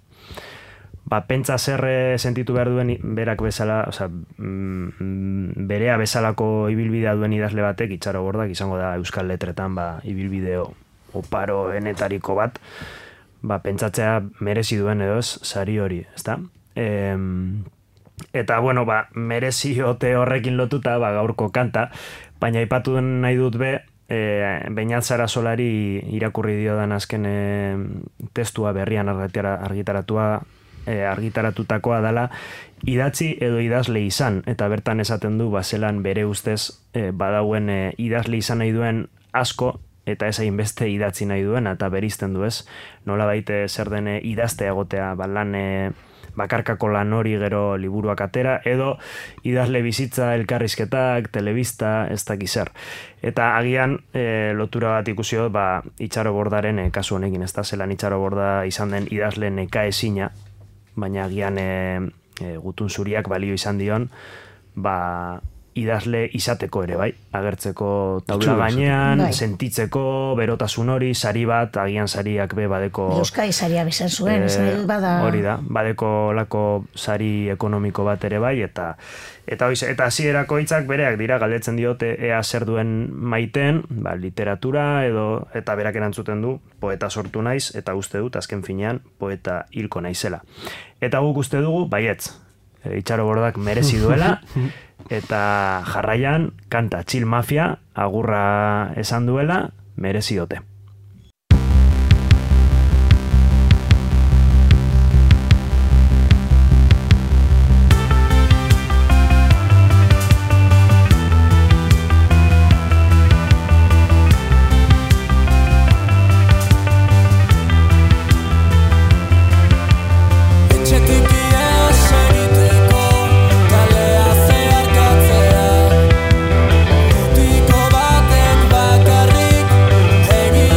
B: Ba, pentsa zer sentitu behar duen berak bezala, oza, mm, berea bezalako ibilbidea duen idazle batek Itxarobordak izango da euskal letretan ba, ibilbideo oparo enetariko bat, ba, pentsatzea merezi duen edo ez sari hori, ezta? E, eta, bueno, ba, merezi ote horrekin lotuta ba, gaurko kanta, baina aipatu nahi dut be, e, Beñat Sarasolari irakurri diodan azken e, testua berrian argitaratua, e, argitaratutakoa dela, idatzi edo idazle izan, eta bertan esaten du, bazelan bere ustez e, badauen e, idazle izan nahi duen asko, eta ez hainbeste idatzi nahi duen, eta berizten du ez, nola baite zer den idazte egotea, ba, lan e, bakarkako lan hori gero liburuak atera, edo idazle bizitza, elkarrizketak, telebista, ez dakiz zer. Eta agian e, lotura bat ikusi dut, ba, Itxarobordaren e, kasu honekin, ez da, zelan Itxaroborda izan den idazle neka ezina, baina agian e, e, Gutun Zuriak balio izan dion, ba, idazle izateko ere, bai, agertzeko taula gainean, bai. Sentitzeko, berotasun hori, sari bat, agian sariak be badeko...
C: Euskai saria bezan zuen,
B: e,
C: bada...
B: Hori da, badeko lako sari ekonomiko bat ere bai, eta eta hoiz, eta hasierako hitzak bereak dira, galdetzen diote ea zer duen maiteen, ba, literatura edo, eta berak erantzuten du, poeta sortu naiz, eta uste dut, azken finean, poeta hilko naizela. Eta guk uste dugu, baietz, Itxarobordak merezi duela, eta jarraian kanta Chill Mafia agurra esan duela merezi dote.
D: Bakarrik egin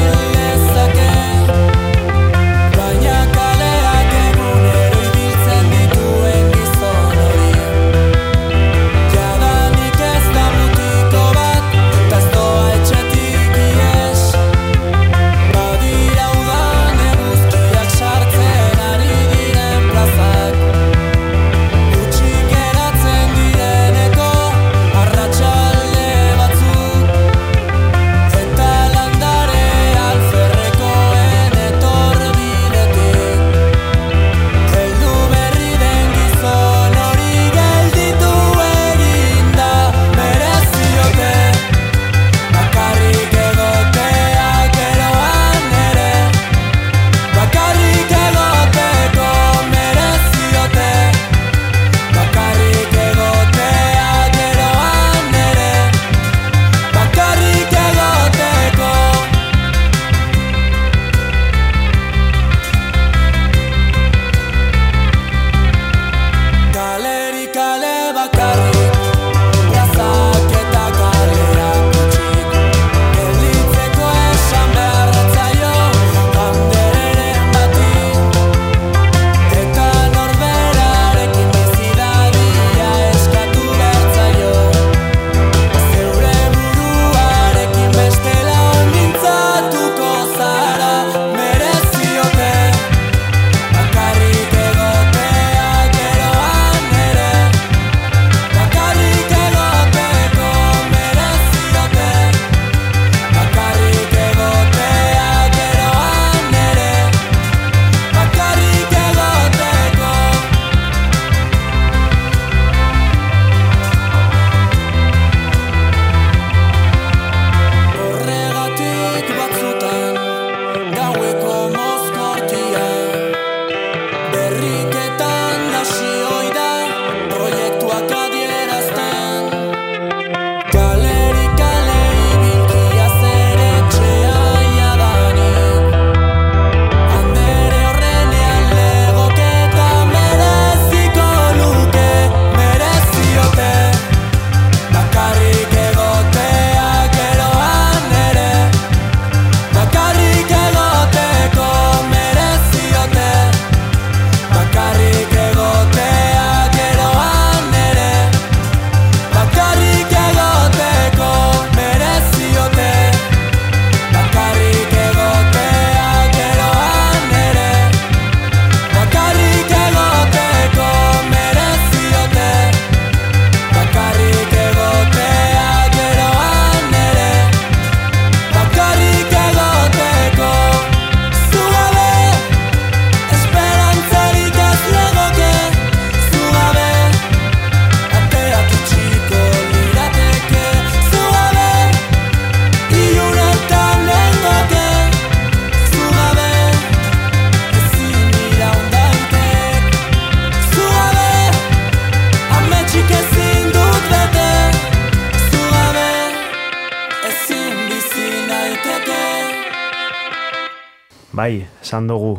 B: bai, esan dugu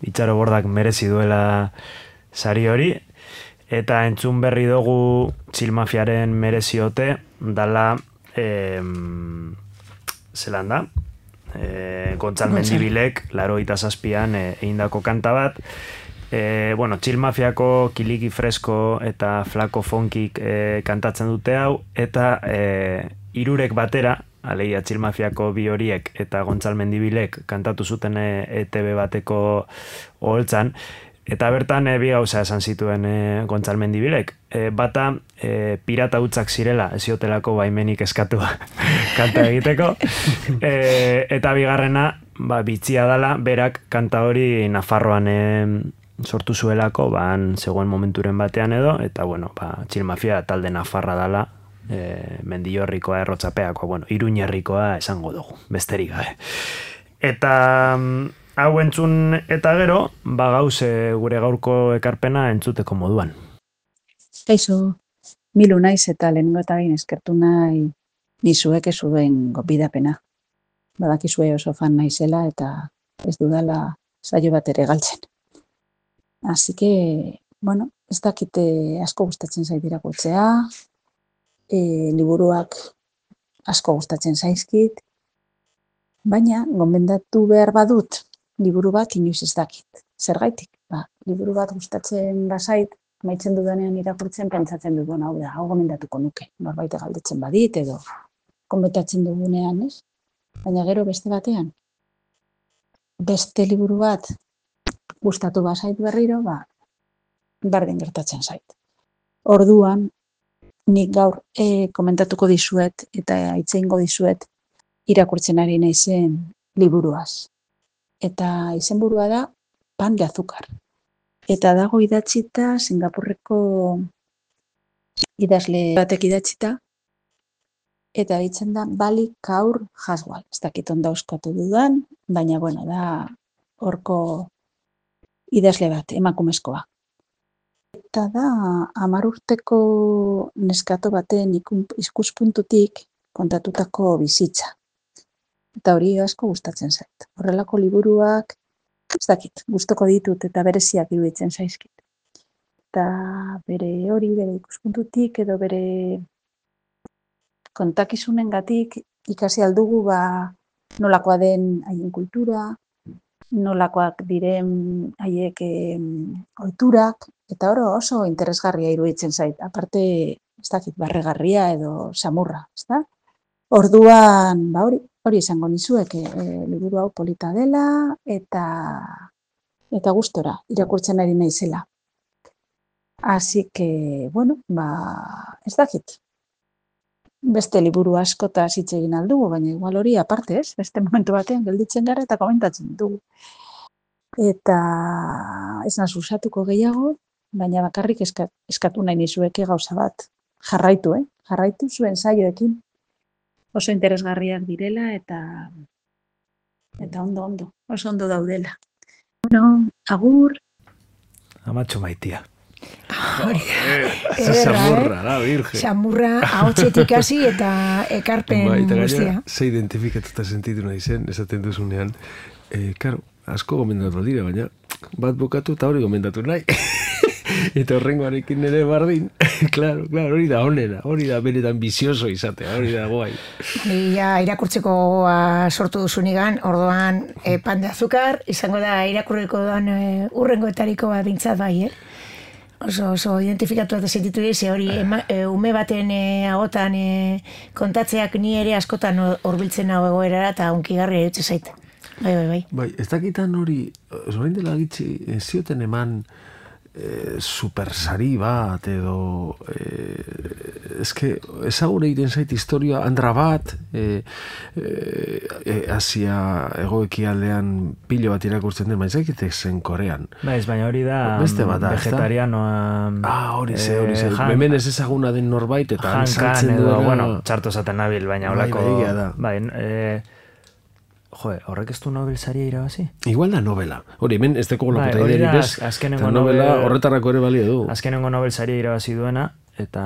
B: Itxaro Bordak merezi duela sari hori, eta entzun berri dugu Txilmafiaren mereziote, dala, eh, zelan da, eh, Gontzal Mendibilek, laro eta zazpian eh, eindako kanta bat, eh, bueno, Txilmafiako Kiliki Fresko eta Flako Funkik eh, kantatzen dute hau, eta eh, irurek batera, alegia Txilmafiako bi horiek eta Gontzal Mendibilek kantatu zuten E T B bateko oholtzan, eta bertan e, bi gauza esan zituen e, Gontzal Mendibilek. E, bata, e, pirata hutzak zirela, ez ziotelako baimenik eskatua kanta egiteko, e, eta bigarrena, ba, bitxia dala, berak kanta hori Nafarroan e, sortu zuelako, ba, zegoen momenturen batean edo, eta bueno, ba, Txilmafia talde Nafarra dala, E, Mendillorrikoa, Errotxapeakoa, bueno, Iruñerrikoa esango dugu, besterik gabe. Eta hau entzun eta gero, ba gauze gure gaurko ekarpena entzuteko moduan.
D: Kaixo, milu naiz eta lehenengo eta behin eskertu nahi nizuek ez duen gopidapena. Badakizue oso fan naizela eta ez dudala saio bat ere galtzen. Así que, bueno, ez dakite asko gustatzen zait irakurtzea, E, liburuak asko gustatzen zaizkit, baina gomendatu behar badut liburu bat inoiz ez dakit. Zergaitik? Ba, liburu bat gustatzen bazait, amaitzen dudanean irakurtzen pentsatzen dut, hau da, hau gomendatuko nuke. Norbait galdetzen badit edo komentatzen dugunean, ez? Baina gero beste batean, beste liburu bat gustatu bazait berriro, ba, berdin gertatzen zait. Orduan, nik gaur e, komentatuko dizuet eta itzeingo dizuet irakurtzen ari naizen liburuaz. Eta izenburua da Pan de Azúcar. Eta dago idatzita Singapurreko idazle batek idatzita, eta ditzen da Bali Kaur Haswal. Ez dakit ondo euskatu dudan, baina bueno, da horko idazle bat, emakumezkoa. Eta da, hamar urteko neskato baten ikuspuntutik kontatutako bizitza. Eta hori asko gustatzen zait. Horrelako liburuak, ez dakit, gustoko ditut eta bereziak iruditzen zaizkit. Eta bere hori, bere ikuspuntutik edo bere kontakizunengatik ikasi aldugu ba nolakoa den haien kultura, nolakoak diren haiek eh, ohiturak, eta oro oso interesgarria iruditzen zait. Aparte, ez dakit, barregarria edo samurra, ezta? Orduan, ba hori, hori esango nizuek, e, liburu hau polita dela eta eta gustora irakurtzen ari naizela. Así que, bueno, ba, ez dakit. Beste liburu askotaz hitz egin aldugu, baina igual hori aparte, ez? Beste momentu batean gelditzen gara eta komentatzen dugu. Eta ez naz usatuko gehiago, baina bakarrik eska, eskatu nahi nizueke gauza bat. Jarraitu, eh? Jarraitu zuen saioekin. Oso interesgarriak direla eta eta ondo ondo, oso ondo daudela. Bueno, agur.
B: Amatxo maitia.
C: Hori,
A: Esa samurra, la virgen.
C: Samurra, ahotsetik hasi eta ekarpen
A: Ba, eta
C: guztia.
A: gaina, ze identifikatuta sentitu nahi zen, esaten duzunean, eh, karo, asko gomendatu dira, baina bat bukatu eta hori gomendatu nahi. Eta horrengoarekin ere bardin, claro, claro, hori da onena, hori da benetan bizioso izatea, hori da guai.
C: Ja, irakurtzeko gogoa sortu duzunigan, orduan e, Pan de Azúcar, izango da irakurriko duan e, urrengoetariko bat bintzat bai, eh? Oso, oso identifikatu eta sentitu dira, ze hori ema, e, ume baten e, agotan e, kontatzeak ni ere askotan horbiltzen hau egoerara eta unkigarri erutze zait. Bai, bai, bai.
A: Bai, ez dakitan hori, zorain dela gitzi, ez zioten eman eh, supersari bat edo eh, eske ezagure egiten zait historia andra bat eh, eh, Asia egoekialdean pilo bat irakurtzen den, baina zakitek zen Korean.
B: Baiz, baina hori da
A: beste bat da,
B: vegetarianoa.
A: Ah, hori ze, hori ze. Eh, hemen ez ezaguna den norbait eta
B: hankan edo, duena, bueno, txarto zaten nabil, baina holako.
A: Bai, da.
B: Bai, eh, jo, horrek ez du Nobel saria irabazi?
A: Igual da novela. Hori, hemen ez deko lopota
B: bai,
A: iderik bez.
B: Azkenengo
A: novela
B: Nobel,
A: horretarako ere balio du.
B: Azkenengo Nobel saria irabazi duena, eta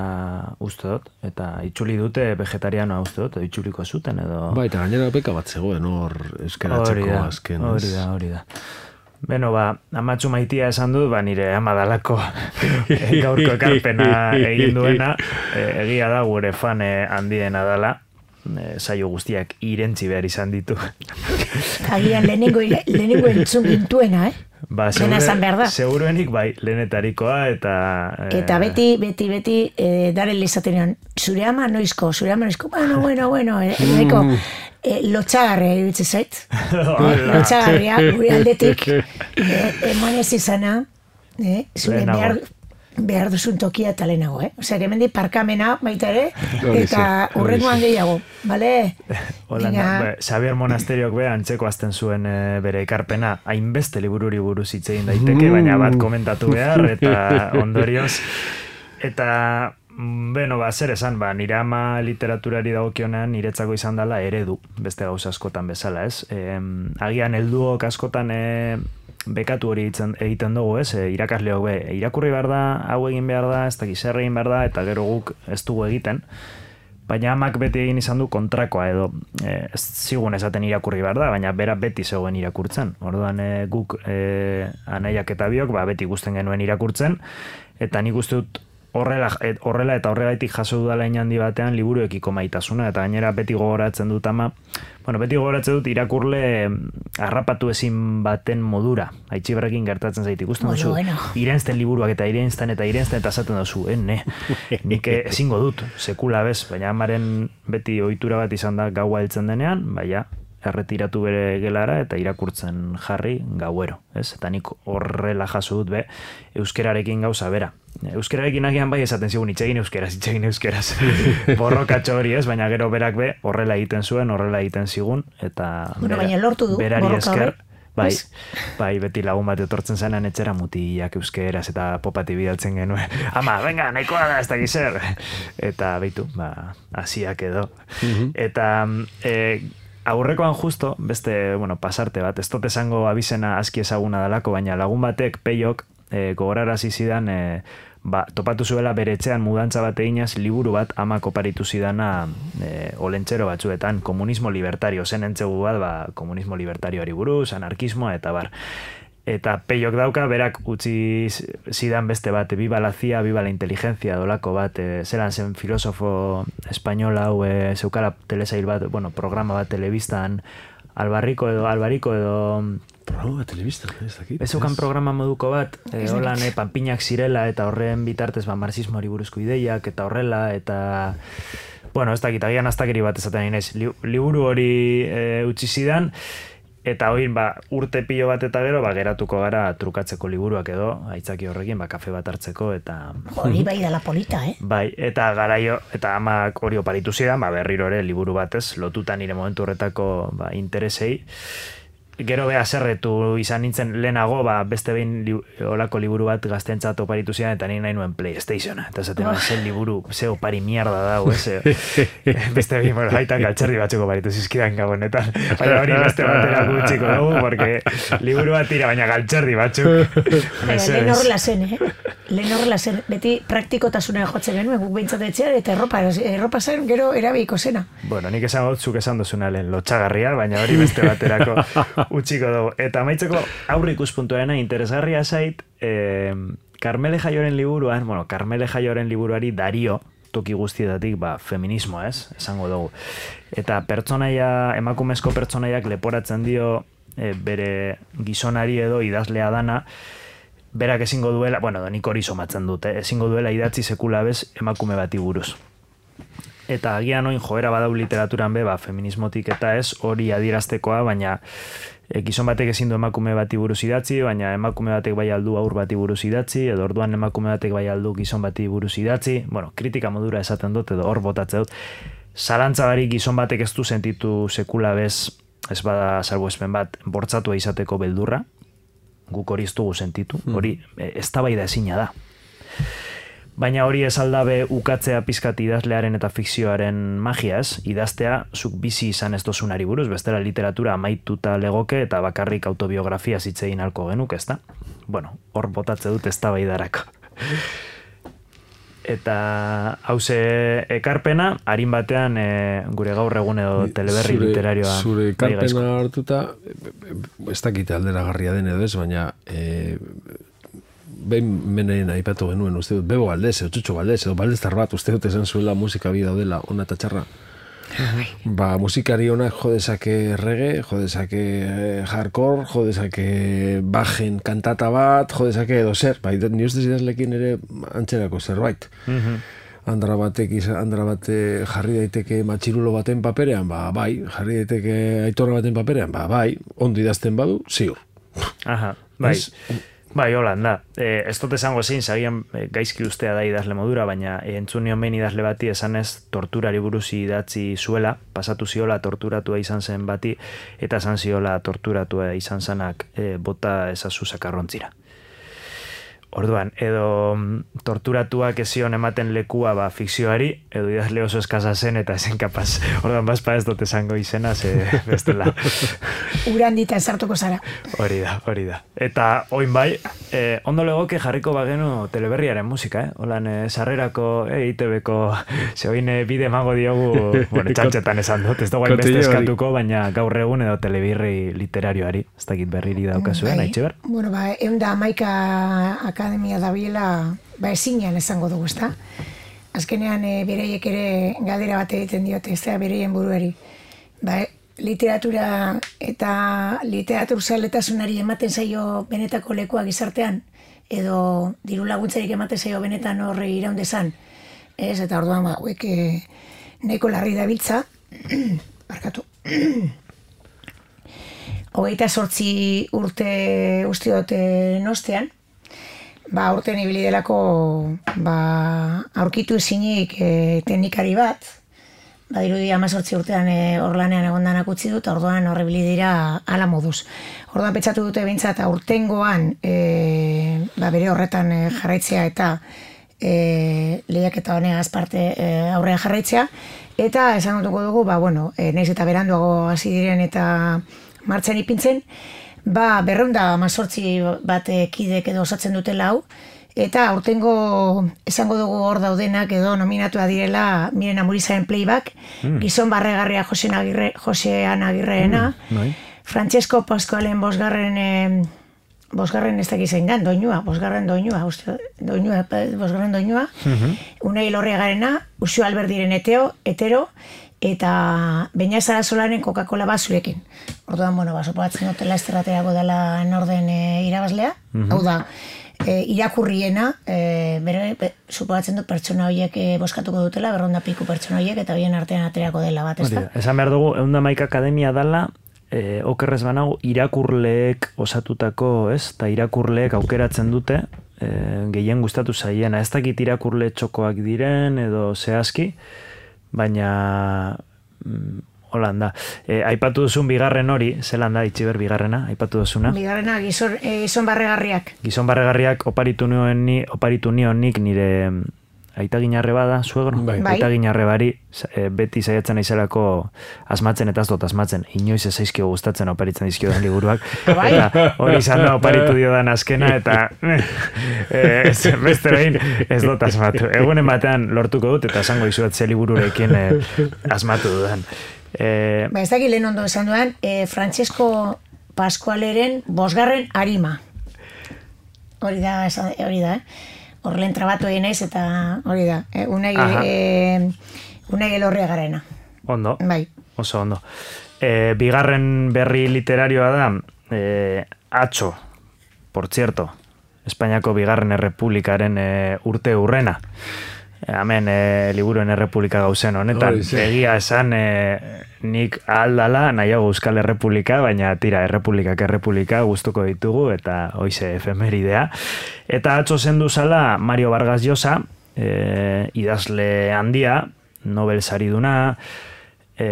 B: uste dut, eta itzuli dute vegetarianoa uste dut, itzuliko zuten edo...
A: Ba, eta gainera beka bat zegoen hor euskaratzeko azken.
B: Hori da, hori da. Beno, ba, amatxu maitia esan dut, ba, nire amadalako gaurko ekarpena egin duena, egia da gure fan handiena dela, saio guztiak irentzi behar izan ditu.
C: Agian lehenengo, lehenengo entzun gintuena, eh?
B: Ba, segure, seguruenik bai, lehenetarikoa eta...
C: Eh... Eta beti, beti, beti, eh, daren lezatenean, zure ama noizko, zure ama noizko, bueno, bueno, bueno, eh, mm. eh, lotxagarria iruditzen zait. Lotxagarria, gure aldetik, eh, eman ez izana, eh, zure behar... behar duzun tokia eta lehenago, eh? Osea, que hemendi parkamena baita ere, eta urrengoan gehiago, bale?
B: Hola, Xavier Monasteriok be, antzeko azten zuen e, bere ekarpena, hainbeste libururi buruz hitz egin daiteke, mm. baina bat komentatu behar, eta ondorioz, eta, beno, ba, zer esan, ba, nire ama literaturari dagokionean niretzako izan dela eredu, beste gauza askotan bezala, ez? E, agian helduok askotan, e, bekatu hori egiten dugu, ez? E, irakasleok be, irakurri behar da, hau egin behar da, ez dakiz zer egin behar da, eta gero guk ez dugu egiten. Baina amak beti egin izan du kontrakoa edo, e, ez zigun esaten irakurri behar da, baina bera beti zegoen irakurtzen. Orduan e, guk e, anaiak eta biok, ba, beti guzten genuen irakurtzen, eta nik uste dut horrela, et, horrela eta horregaitik jaso dudala inandi batean liburuekiko maitasuna, eta gainera beti gogoratzen dut ama, bueno, beti gogoratzen dut irakurle harrapatu ezin baten modura, Aitziberrekin gertatzen zait ikusten
C: bueno,
B: duzu,
C: bueno.
B: Irensten liburuak eta irensten eta irensten eta esaten duzu, eh, ne, nik ezingo dut, sekula bez, baina amaren beti ohitura bat izan da gaua heltzen denean, baina, erretiratu bere gelara eta irakurtzen jarri gauero, ez? Eta nik horrela jaso dut be, euskerarekin gauza bera. Euskerarekin agian bai esaten zigun itxegin euskeraz, itxegin euskeraz. Borrokatxo hori ez, baina gero berak be, horrela egiten zuen, horrela egiten zigun, eta
C: bueno, bera, baina lortu du,
B: berari esker, bai,
C: es?
B: bai, beti lagun bat etortzen zenan etxera mutiak euskeraz eta popati bidaltzen genuen. Ama, venga, nahikoa da, ez da gizer. Eta beitu, ba, hasiak edo. Uh-huh. Eta, e, aurrekoan justo, beste, bueno, pasarte bat, ez dut esango abizena aski ezaguna dalako, baina lagun batek, peiok, e, gogorarazi zidan, e, ba, topatu zuela bere etxean mudantza bat eginaz liburu bat amak oparitu zidana e, olentxero batzuetan, komunismo libertario, zen entzegu bat, ba, komunismo libertarioari buruz, anarkismoa eta bar. Eta peiok dauka, berak utzi zidan beste bat, Viva la C I A, Viva la Inteligencia, dolako bat, e, zelan zen filosofo espainola, hau, e, zeukala telesail bat, bueno, programa bat telebistan, albarriko edo, albariko edo...
A: Programa bat telebistan, ez dakit.
B: Ez zeukan programa moduko bat, e, holan, e, panpinak zirela, eta horren bitartez, ba, marxismoari buruzko ideiak, eta horrela, eta... Bueno, ez dakit, agian aztakeri bat esaten inez, li, liburu hori e, utzi zidan, eta hoin, ba, urte pilo bat eta gero, ba, geratuko gara trukatzeko liburuak edo, aitzaki horrekin, ba, kafe bat hartzeko, eta...
C: Hori bai dela polita, eh?
B: Bai, eta garaio, eta amak hori oparitu zidan, ba, berriro ere liburu batez, lotuta nire momentu horretako, ba, interesei. Gero beha zerretu izan nintzen lehenago, ba, beste behin li, olako liburu bat gaztentzat oparitu zidan, eta nire nahi nuen PlayStationa. Eta zaten, oh. zen liburu, ze opari mierda dago, ez? Beste behin, bueno, haitak altxerdi batzuk oparitu zizkidan gabonetan. Baina hori beste batera gutxiko dugu, porque liburu bat tira, baina galtxerdi batzuk.
C: Lehen horrela zen, eh? Lehen horrela zen, beti praktikotasuna jotzen genuen, guk behintzat etxean, eta erropa, erropa zen, gero erabiko zena.
B: Bueno, nik esan dut, zuk esan duzuna lehen lotxagarria, baina hori beste baterako utxiko dugu. Eta maitzeko aurre ikuspuntuena interesgarria zait, eh, Karmele Jaioren liburuan, bueno, Karmele Jaioren liburuari Dario, toki guztietatik, ba, feminismo, ez? Esango dugu. Eta pertsonaia, emakumezko pertsonaiak leporatzen dio e, bere gizonari edo idazlea dana, berak ezingo duela, bueno, nik hori somatzen dute, ezingo duela idatzi sekula bez emakume bati buruz. Eta agian oin joera badau literaturan be, ba, feminismotik eta ez, hori adieraztekoa, baina e, gizon batek ezin du emakume bati buruz idatzi, baina emakume batek bai aldu aur bati buruz idatzi, edo orduan emakume batek bai aldu gizon bati buruz idatzi, bueno, kritika modura esaten dut, edo hor botatze dut. Zalantza barik gizon batek ez du sentitu sekula bez, ez bada salbuespen bat, bortzatua izateko beldurra, guk hori ez dugu sentitu, hori e, eztabaida ezina da. Baina hori ez aldabe ukatzea pizkat idazlearen eta fikzioaren magiaz, idaztea zuk bizi izan ez dozunari buruz, bestela literatura amaituta legoke eta bakarrik autobiografia zitzein halko genuk, ezta? Bueno, hor botatze dut eztabaidarako. eta hauze ekarpena, harin batean e, gure gaur egun edo teleberri
A: zure,
B: literarioa.
A: Zure ekarpena hartuta, ez dakita alderagarria den edo ez, baina e, behin menen aipatu genuen, uste dut, Bebo Valdez, edo Txutxo Valdez, edo Valdeztar bat, uste dut esan zuela musika bi daudela, ona eta txarra. Ba, musikari honak jodezake reggae, jodezake hardcore, jodezake bajen kantata bat, jodezake edo zer, bai, ni ustez idazlekin ere antxerako zerbait. Andra batek, andra bate jarri daiteke matxirulo baten paperean, ba, bai, jarri daiteke aitorra baten paperean, ba, bai, ondo idazten badu, ziur.
B: Aha, bai. Bai, holan da. E, ez dut esango zein, zagian e, gaizki ustea da idazle modura, baina e, entzun nion behin idazle bati esanez torturari buruz idatzi zuela, pasatu ziola torturatua izan zen bati, eta esan ziola torturatua izan zanak e, bota ezazu sakarrontzira. Orduan, edo torturatuak ezion ematen lekua ba, fikzioari, edo idazle oso eskasa zen eta esen kapaz. Orduan, bazpa ez dut esango izena, ze bestela.
C: Urandita esartuko zara.
B: Hori da, hori da. Eta, oin bai, eh, ondo legoke jarriko bagenu teleberriaren musika, eh? Holan, eh, sarrerako, eh, I T B-ko, ze oin eh, bide emango diogu, bueno, txantxetan esan dut, ez dago beste eskatuko, baina gaur egun edo telebirri literarioari, ez dakit berriri daukazuen,
C: bai.
B: Aitziber?
C: Bueno, ba, egun da amaika akademia dabiela, ba, ezinean esango dugu, ezta? Azkenean, e, bereiek ere galdera bat egiten diote, ez da, bereien buruari. Ba, literatura eta literatur zaletasunari ematen zaio benetako lekua gizartean, edo diru laguntzarik ematen zaio benetan horre iraundezan. Ez, eta orduan, ba, hauek e, nahiko larri dabiltza, barkatu, hogeita sortzi urte uste dute nostean, ba, urten ibili delako ba, aurkitu ezinik e, teknikari bat, ba, dirudi amazortzi urtean e, orlanean egondanak utzi dut, orduan horrebili dira ala moduz. Orduan pentsatu dute behintzat aurtengoan e, ba, bere horretan e, jarraitzea eta e, lehiak eta honegaz parte e, aurrean jarraitzea, eta esan dutuko dugu, ba, bueno, e, naiz eta beranduago hasi diren eta martxan ipintzen, ba, berreunda amazortzi bat kidek edo osatzen dutela hau, eta aurtengo esango dugu hor daudenak edo nominatua direla Miren Amurizaren Playback, mm. Gizon Barregarria Josean Agirre, Josean Agirreena, mm, Francesco Pascualen bosgarren, eh, bosgarren ez dakizen gan, doinua, bosgarren doinua, uste, doinua, bosgarren doinua, mm-hmm. Unai Lorriagarena, Uxu Alberdiren eteo, etero, eta Beña Sarazolaren Coca-Cola basurekin. Orduan, bueno, ba, sopatzen dutela esterraterako dela norden e, irabazlea. Mm-hmm. Hau da, e, irakurriena, e, bere, be, supogatzen dut pertsona horiek e, boskatuko dutela, berronda piku pertsona horiek, eta bien artean aterako dela bat, ez da?
B: Esan behar dugu, eunda maika akademia dala, e, okerrez banago, irakurleek osatutako, ez? Eta irakurleek aukeratzen dute, e, gehien gustatu zaiena. Ez dakit irakurle txokoak diren, edo zehazki, baina mm, holan da. E, aipatu duzun bigarren hori, zelan da, Itziber bigarrena, aipatu duzuna?
C: Bigarrena, gizon, e, gizon barregarriak.
B: Gizon barregarriak oparitu nioen ni, oparitu nion nik nire aita ginarre bada, suegro?
C: Bai.
B: Aita ginarre bari, e, beti saiatzen aizelako asmatzen eta ez dut asmatzen. Inoiz ez zaizkio gustatzen oparitzen dizkiodan liburuak.
C: Bai.
B: Eta hori izan da oparitu diodan azkena, eta e, ez, beste behin ez dut asmatu. Egunen batean lortuko dut, eta esango izuat ze libururekin e, asmatu dudan. E,
C: ba, ez dakit lehen ondo esan dudan, e, Francesco Pascualeren bosgarren arima. Hori da, hori da, eh? Horren trabatu egin ez, eta hori da, eh? Unai, e, Unai Elorriagarena.
B: Ondo,
C: bai.
B: Oso ondo. E, bigarren berri literarioa da, e, Atxo, por cierto, Espainiako bigarren errepublikaren e, urte urrena. E, hemen e, liburuen errepublika gauzen honetan. Egia esan e, nik ahaldala nahiago Euskal Errepublika, baina tira, errepublikak errepublika gustuko ditugu, eta hoize efemeridea. Eta Atxo zendu zala Mario Vargas Llosa, e, idazle handia, Nobel sariduna, e,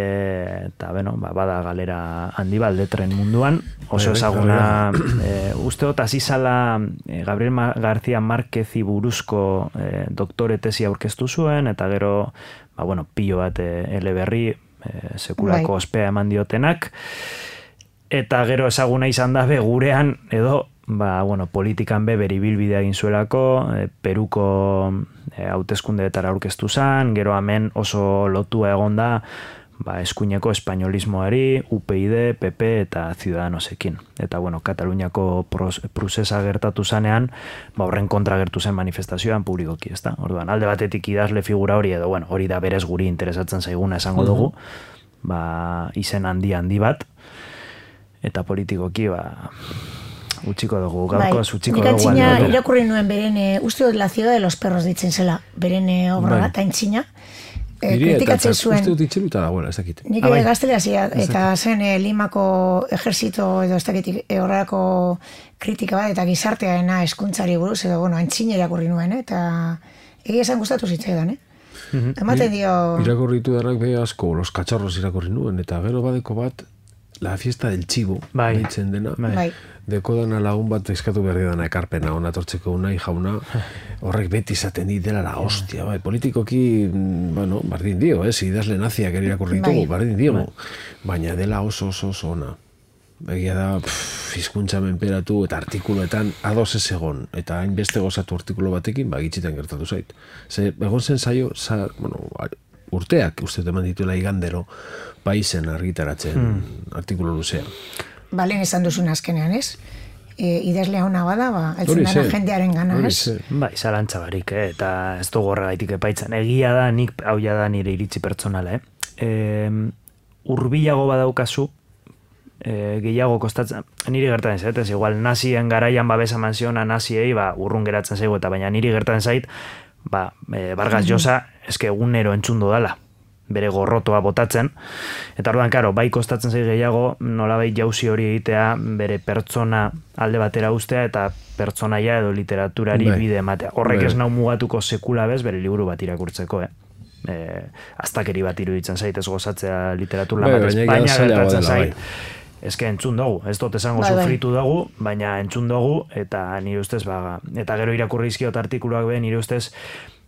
B: eta beno, ba, bada galera handi bat letren munduan, oso ezaguna, e, uste dut hasi zala e, Gabriel Ma- García Márquezi buruzko e, doktore tesi aurkeztu zuen, eta gero, ba, bueno, pilo bat e, eleberri, e, sekulako
C: bai.
B: ospea eman diotenak, eta gero ezaguna izan da be gurean, edo ba, bueno, politikan be bere ibilbidea egin zuelako, e, Peruko e, hauteskundeetara aurkeztu zen, gero hemen oso lotua egonda, ba, eskuineko espainolismoari, U P y D, P P eta Ciudadanosekin. Eta, bueno, Kataluniako prozesa gertatu zanean, ba, horren kontra gertu zen manifestazioan publikoki, ezta? Orduan, alde batetik idazle figura hori, edo, bueno, hori da berez guri interesatzen zaiguna esango dugu, ba, izen handi handi bat, eta politikoki, ba, utxiko dugu, gaurkoz utxiko dugu.
C: Nik antzina irakurri nuen beren, uste dut La ciudad de los perros ditzen zela, beren obra bat, antzina, kritikatzen zuen.
A: Uste dut itxeluta dagoela, ez dakit.
C: Nik gaztelea zia, eta zen Limako ejerzito edo ez dakit horrelako kritika bat, eta gizarteaena eskuntzari buruz, edo, bueno, antzina irakurri nuen, eta egia esan gustatu zitzaidan, eh? Ematen dio...
A: Irakurritu darrak behi asko, Los Cacharros irakurri nuen, eta gero badeko bat, La fiesta del chivo, ditzen dena.
C: Bai.
A: Dekodana lagun bat eskatu berri dana ekarpena, ona tortzeko unai jauna, horrek beti izaten dit dela la hostia, bai, politikoki, bueno, bardin dio, eh, idazle naziak irakurritugu, bardin dio, baina dela oso oso oso ona. Egia da, hizkuntza menperatu eta artikuluetan ados ez egon, eta hainbeste gozatu artikulu batekin, ba, gitzitan gertatu zait. Ze, egon zen zaio, za, bueno, urteak, uste teman dituela igandero, paizen argitaratzen hmm. artikulu luzea.
C: Ba, lehen esan duzun azkenean, ez? E, idazlea hona bada, ba, altzen dana jendearen gana, ez?
B: Bai, zalantza barik, eh? Eta ez dugu horregaitik epaitzen. Egia da, nik hau da nire iritzi pertsonala, eh? E, urbilago badaukazu, e, gehiago kostatzen, niri gertatzen zait, ez igual nazien garaian babesa manziona naziei, ba, urrun geratzen zaigu, eta baina niri gertatzen zait, ba, e, Vargas Llosa, eske egunero entzundo dala, bere gorrotoa botatzen, eta orduan, karo, bai kostatzen zai gehiago, nolabait jauzi hori egitea, bere pertsona alde batera ustea, eta pertsonaia edo literaturari bai. Bide ematea. Horrek bai. Ez nau mugatuko sekula bez, bere liburu bat irakurtzeko, eh? E, aztakeri bat iruditzen zait, ez gozatzea literatur lan bat, baina gertatzen zait, ezke entzun dugu, ez dut esango bai, sufritu dugu, baina entzun dugu, eta nire ustez, baga, eta gero irakurri izkiot artikuluak be, nire ustez,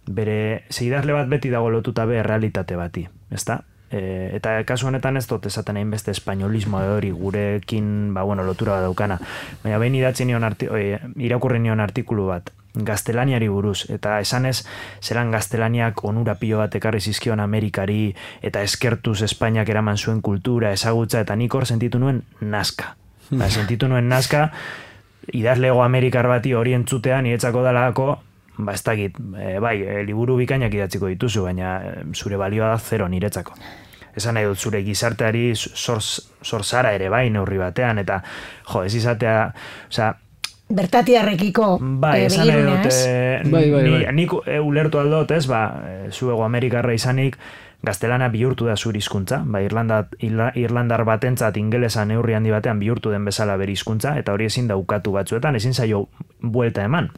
B: bere zeidazle bat beti dago lotuta be realitate bati, ezta? E, eta kasu honetan ez dut esaten hainbeste espainolismo hori gurekin, ba, bueno, lotura bat daukana. Baina behin idatzi nion arti, oi, irakurri nion artikulu bat, gaztelaniari buruz, eta esanez, zelan gaztelaniak onura pilo bat ekarri zizkion Amerikari, eta eskertuz Espainiak eraman zuen kultura, ezagutza, eta nik hor sentitu nuen nazka. Ba, sentitu nuen nazka, idazlego Amerikar bati hori entzutean, niretzako dalako, ba, ez dakit, e, bai, e, liburu bikainak idatziko dituzu, baina e, zure balioa da zero niretzako. Esan nahi dut, zure gizarteari zor zara ere bai neurri batean, eta, jo, ez izatea, oza...
C: Bertatiarrekiko
B: bai, esan nahi dut, e, bai, bai, bai. Nik e, ulertu aldot, ez, ba, e, zuego Amerikarra izanik, gaztelana bihurtu da zure hizkuntza, ba, Irlanda, Irlandar batentzat ingelesa neurri handi batean bihurtu den bezala bere hizkuntza, eta hori ezin daukatu batzuetan, ezin zaio buelta eman.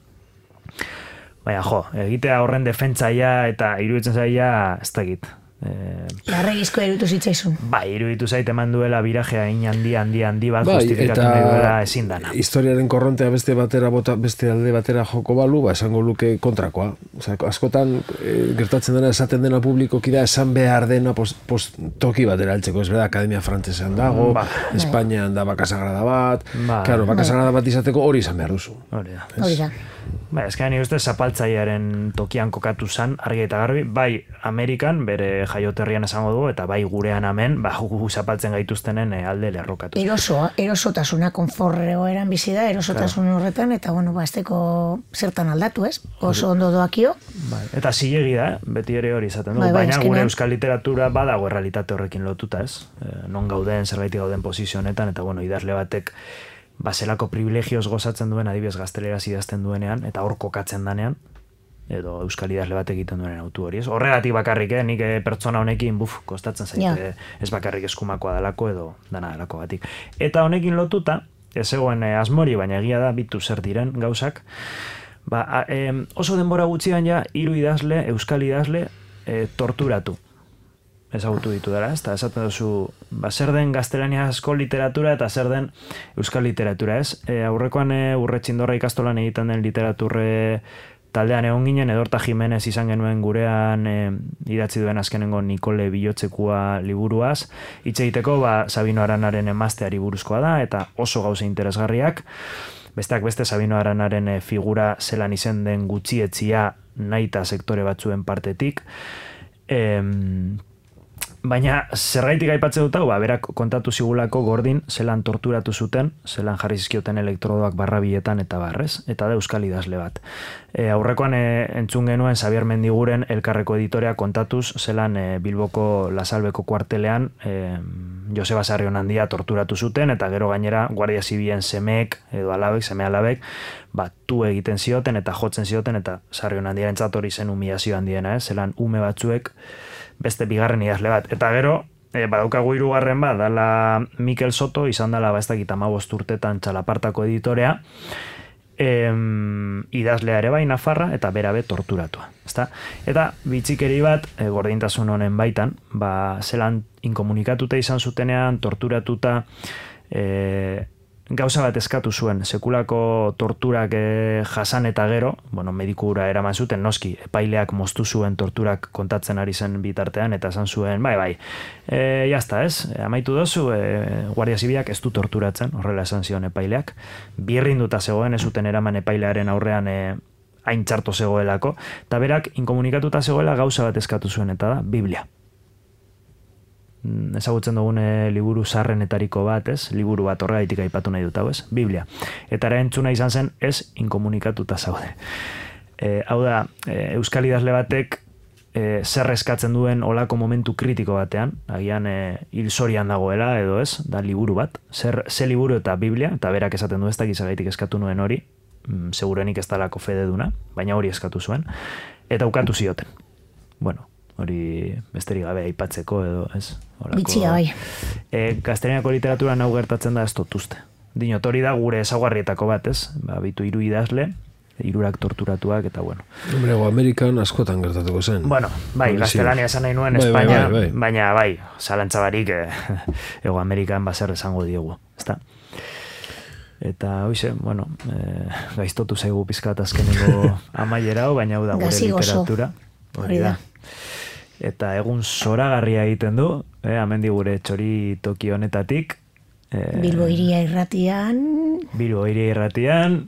B: Baina, jo, egitea horren defentsaia eta iruditzen zaia, ez dakit.
C: Larregizko e, iruditu zitzaizun.
B: Bai, iruditu zait eman duela birajea in handi, handi, handi bat bai, justifikatu nahi duela ezin dana.
A: Historiaren korrontea beste batera bota, beste alde batera joko balu, ba, esango luke kontrakoa. Osa, askotan e, gertatzen dena esaten dena publikoki da, esan behar dena post, post toki batera altzeko, ez bera, Akademia Frantzesean dago, ba, Espainian da bakasagrada bat, ba, claro, bakasagrada bat izateko hori izan behar duzu.
B: Hori da.
C: Hori da.
B: Ba, ez gani uste zapaltzaiaren tokian kokatu zan, argi eta garbi, bai Amerikan, bere jaioterrian esango dugu, eta bai gurean hemen, ba, gu zapaltzen gaituztenen alde lerrokatu.
C: Erosoa, erosotasuna, konforreo eran bizi da, erosotasun claro. Horretan, eta bueno, ba, azteko zertan aldatu, ez? Oso ondo doakio.
B: Bai. Eta zilegi da, beti ere hori izaten du, bai, bai, baina gure euskal literatura badago errealitate horrekin lotuta, ez? E, non gauden, zerbait gauden posizio honetan, eta bueno, idazle batek baselako privilegioz gozatzen duen adibidez gazteleraz idazten duenean, eta hor kokatzen danean, edo euskal idazle bat egiten duen autu hori. Ez? Horregatik bakarrik, eh? Nik pertsona honekin, buf, kostatzen zaite, yeah. Ez bakarrik eskumakoa dalako edo dana dalako batik. Eta honekin lotuta, ez egoen eh, asmori, baina egia da, bitu zer diren gauzak, ba, a, eh, oso denbora gutxian ja, hiru idazle, euskal idazle, eh, torturatu. Ezagutu ditu dara, ez? Eta esaten duzu, ba, zer den gaztelaniazko literatura eta zer den euskal literatura, ez? E, aurrekoan e, Urretxindorra ikastolan egiten den literaturre taldean egon ginen, Edorta Jimenez izan genuen gurean e, idatzi duen azkenengo Nikole Bilotzekua liburuaz, hitz egiteko, ba, Sabino Aranaren emazteari buruzkoa da, eta oso gauza interesgarriak, Besteak beste Sabino Aranaren e, figura zelan izen den gutxietzia naita sektore batzuen partetik. Em, Baina, zergaitik aipatzen dut hau, ba, berak kontatu zigulako Gordin zelan torturatu zuten, zelan jarri zizkioten elektrodoak barrabiletan eta barrez, eta da euskal idazle bat. E, aurrekoan e, entzun genuen Xabier Mendiguren Elkarreko editorea kontatuz, zelan e, Bilboko Lasalbeko kuartelean e, Joseba Sarrionandia torturatu zuten, eta gero gainera Guardia Zibilen semeek, edo alabek, seme alabek, ba, tu egiten zioten eta jotzen zioten, eta Sarrionandiaren hori zen humilazio handiena, eh? Zelan ume batzuek beste bigarren idazle bat. Eta gero, e, badaukagu hirugarren bat, dala Mikel Soto, izan dela ba ez dakit hamabost urtetan Txalapartako editorea, em, idazlea ere bai Nafarra, eta berabe torturatua. Ezta? Eta bitxikeri bat, e, gordintasun honen baitan, ba, zelan inkomunikatuta izan zutenean, torturatuta, e, gauza bat eskatu zuen, sekulako torturak e, jasan eta gero, bueno, medikura eraman zuten, noski, epaileak moztu zuen torturak kontatzen ari zen bitartean, eta esan zuen, bai, bai, e, jazta ez, e, amaitu dozu, e, Guardia Zibilak ez du torturatzen, horrela esan zion epaileak, birrinduta zegoen, ez zuten eraman epailearen aurrean e, hain txarto zegoelako, eta berak inkomunikatuta zegoela gauza bat eskatu zuen, eta da, Biblia. Ezagutzen dugune liburu sarrenetariko bat, ez? Liburu bat horregaitik aipatu nahi dut hau, ez? Biblia. Eta erantzuna izan zen, ez inkomunikatuta zaude. E, hau da, e, euskal idazle batek e, zer eskatzen duen olako momentu kritiko batean, agian e, hilzorian dagoela, edo ez, da liburu bat. Zer, ze liburu eta Biblia, eta berak esaten du ez da gizagaitik eskatu nuen hori, mm, segurenik ez dalako fede duna, baina hori eskatu zuen, eta ukatu zioten. Bueno, hori besterik gabe aipatzeko edo, ez? Horako,
C: bitxia bai.
B: E, gaztelaniako literatura nau gertatzen da ez totuzte. Dinot, hori da gure ezaguarrietako bat, ez? Ba, bitu hiru idazle, hirurak torturatuak, eta bueno.
A: Hombre, Ego Amerikan askotan gertatuko zen.
B: Bueno, bai, gaztelania esan nahi nuen,
A: bai,
B: Espainia,
A: bai, bai, bai.
B: baina bai, zalantzabarik eh, Ego Amerikan baser esango diegu, ezta? Eta hoize, bueno, eh, gaiztotu zaigu pizkat azkeneko amaierao, baina hau da gure literatura. Hori da. Eta egun zoragarria egiten du, eh, amendi gure txori toki honetatik. Eh,
C: Bilbo Hiria Irratian.
B: Bilbo Hiria Irratian,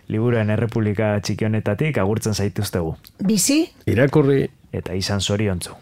B: Liburuen Errepublika txiki honetatik agurtzen zaituztegu.
C: Bizi.
A: Irakurri.
B: Eta izan zoriontzu.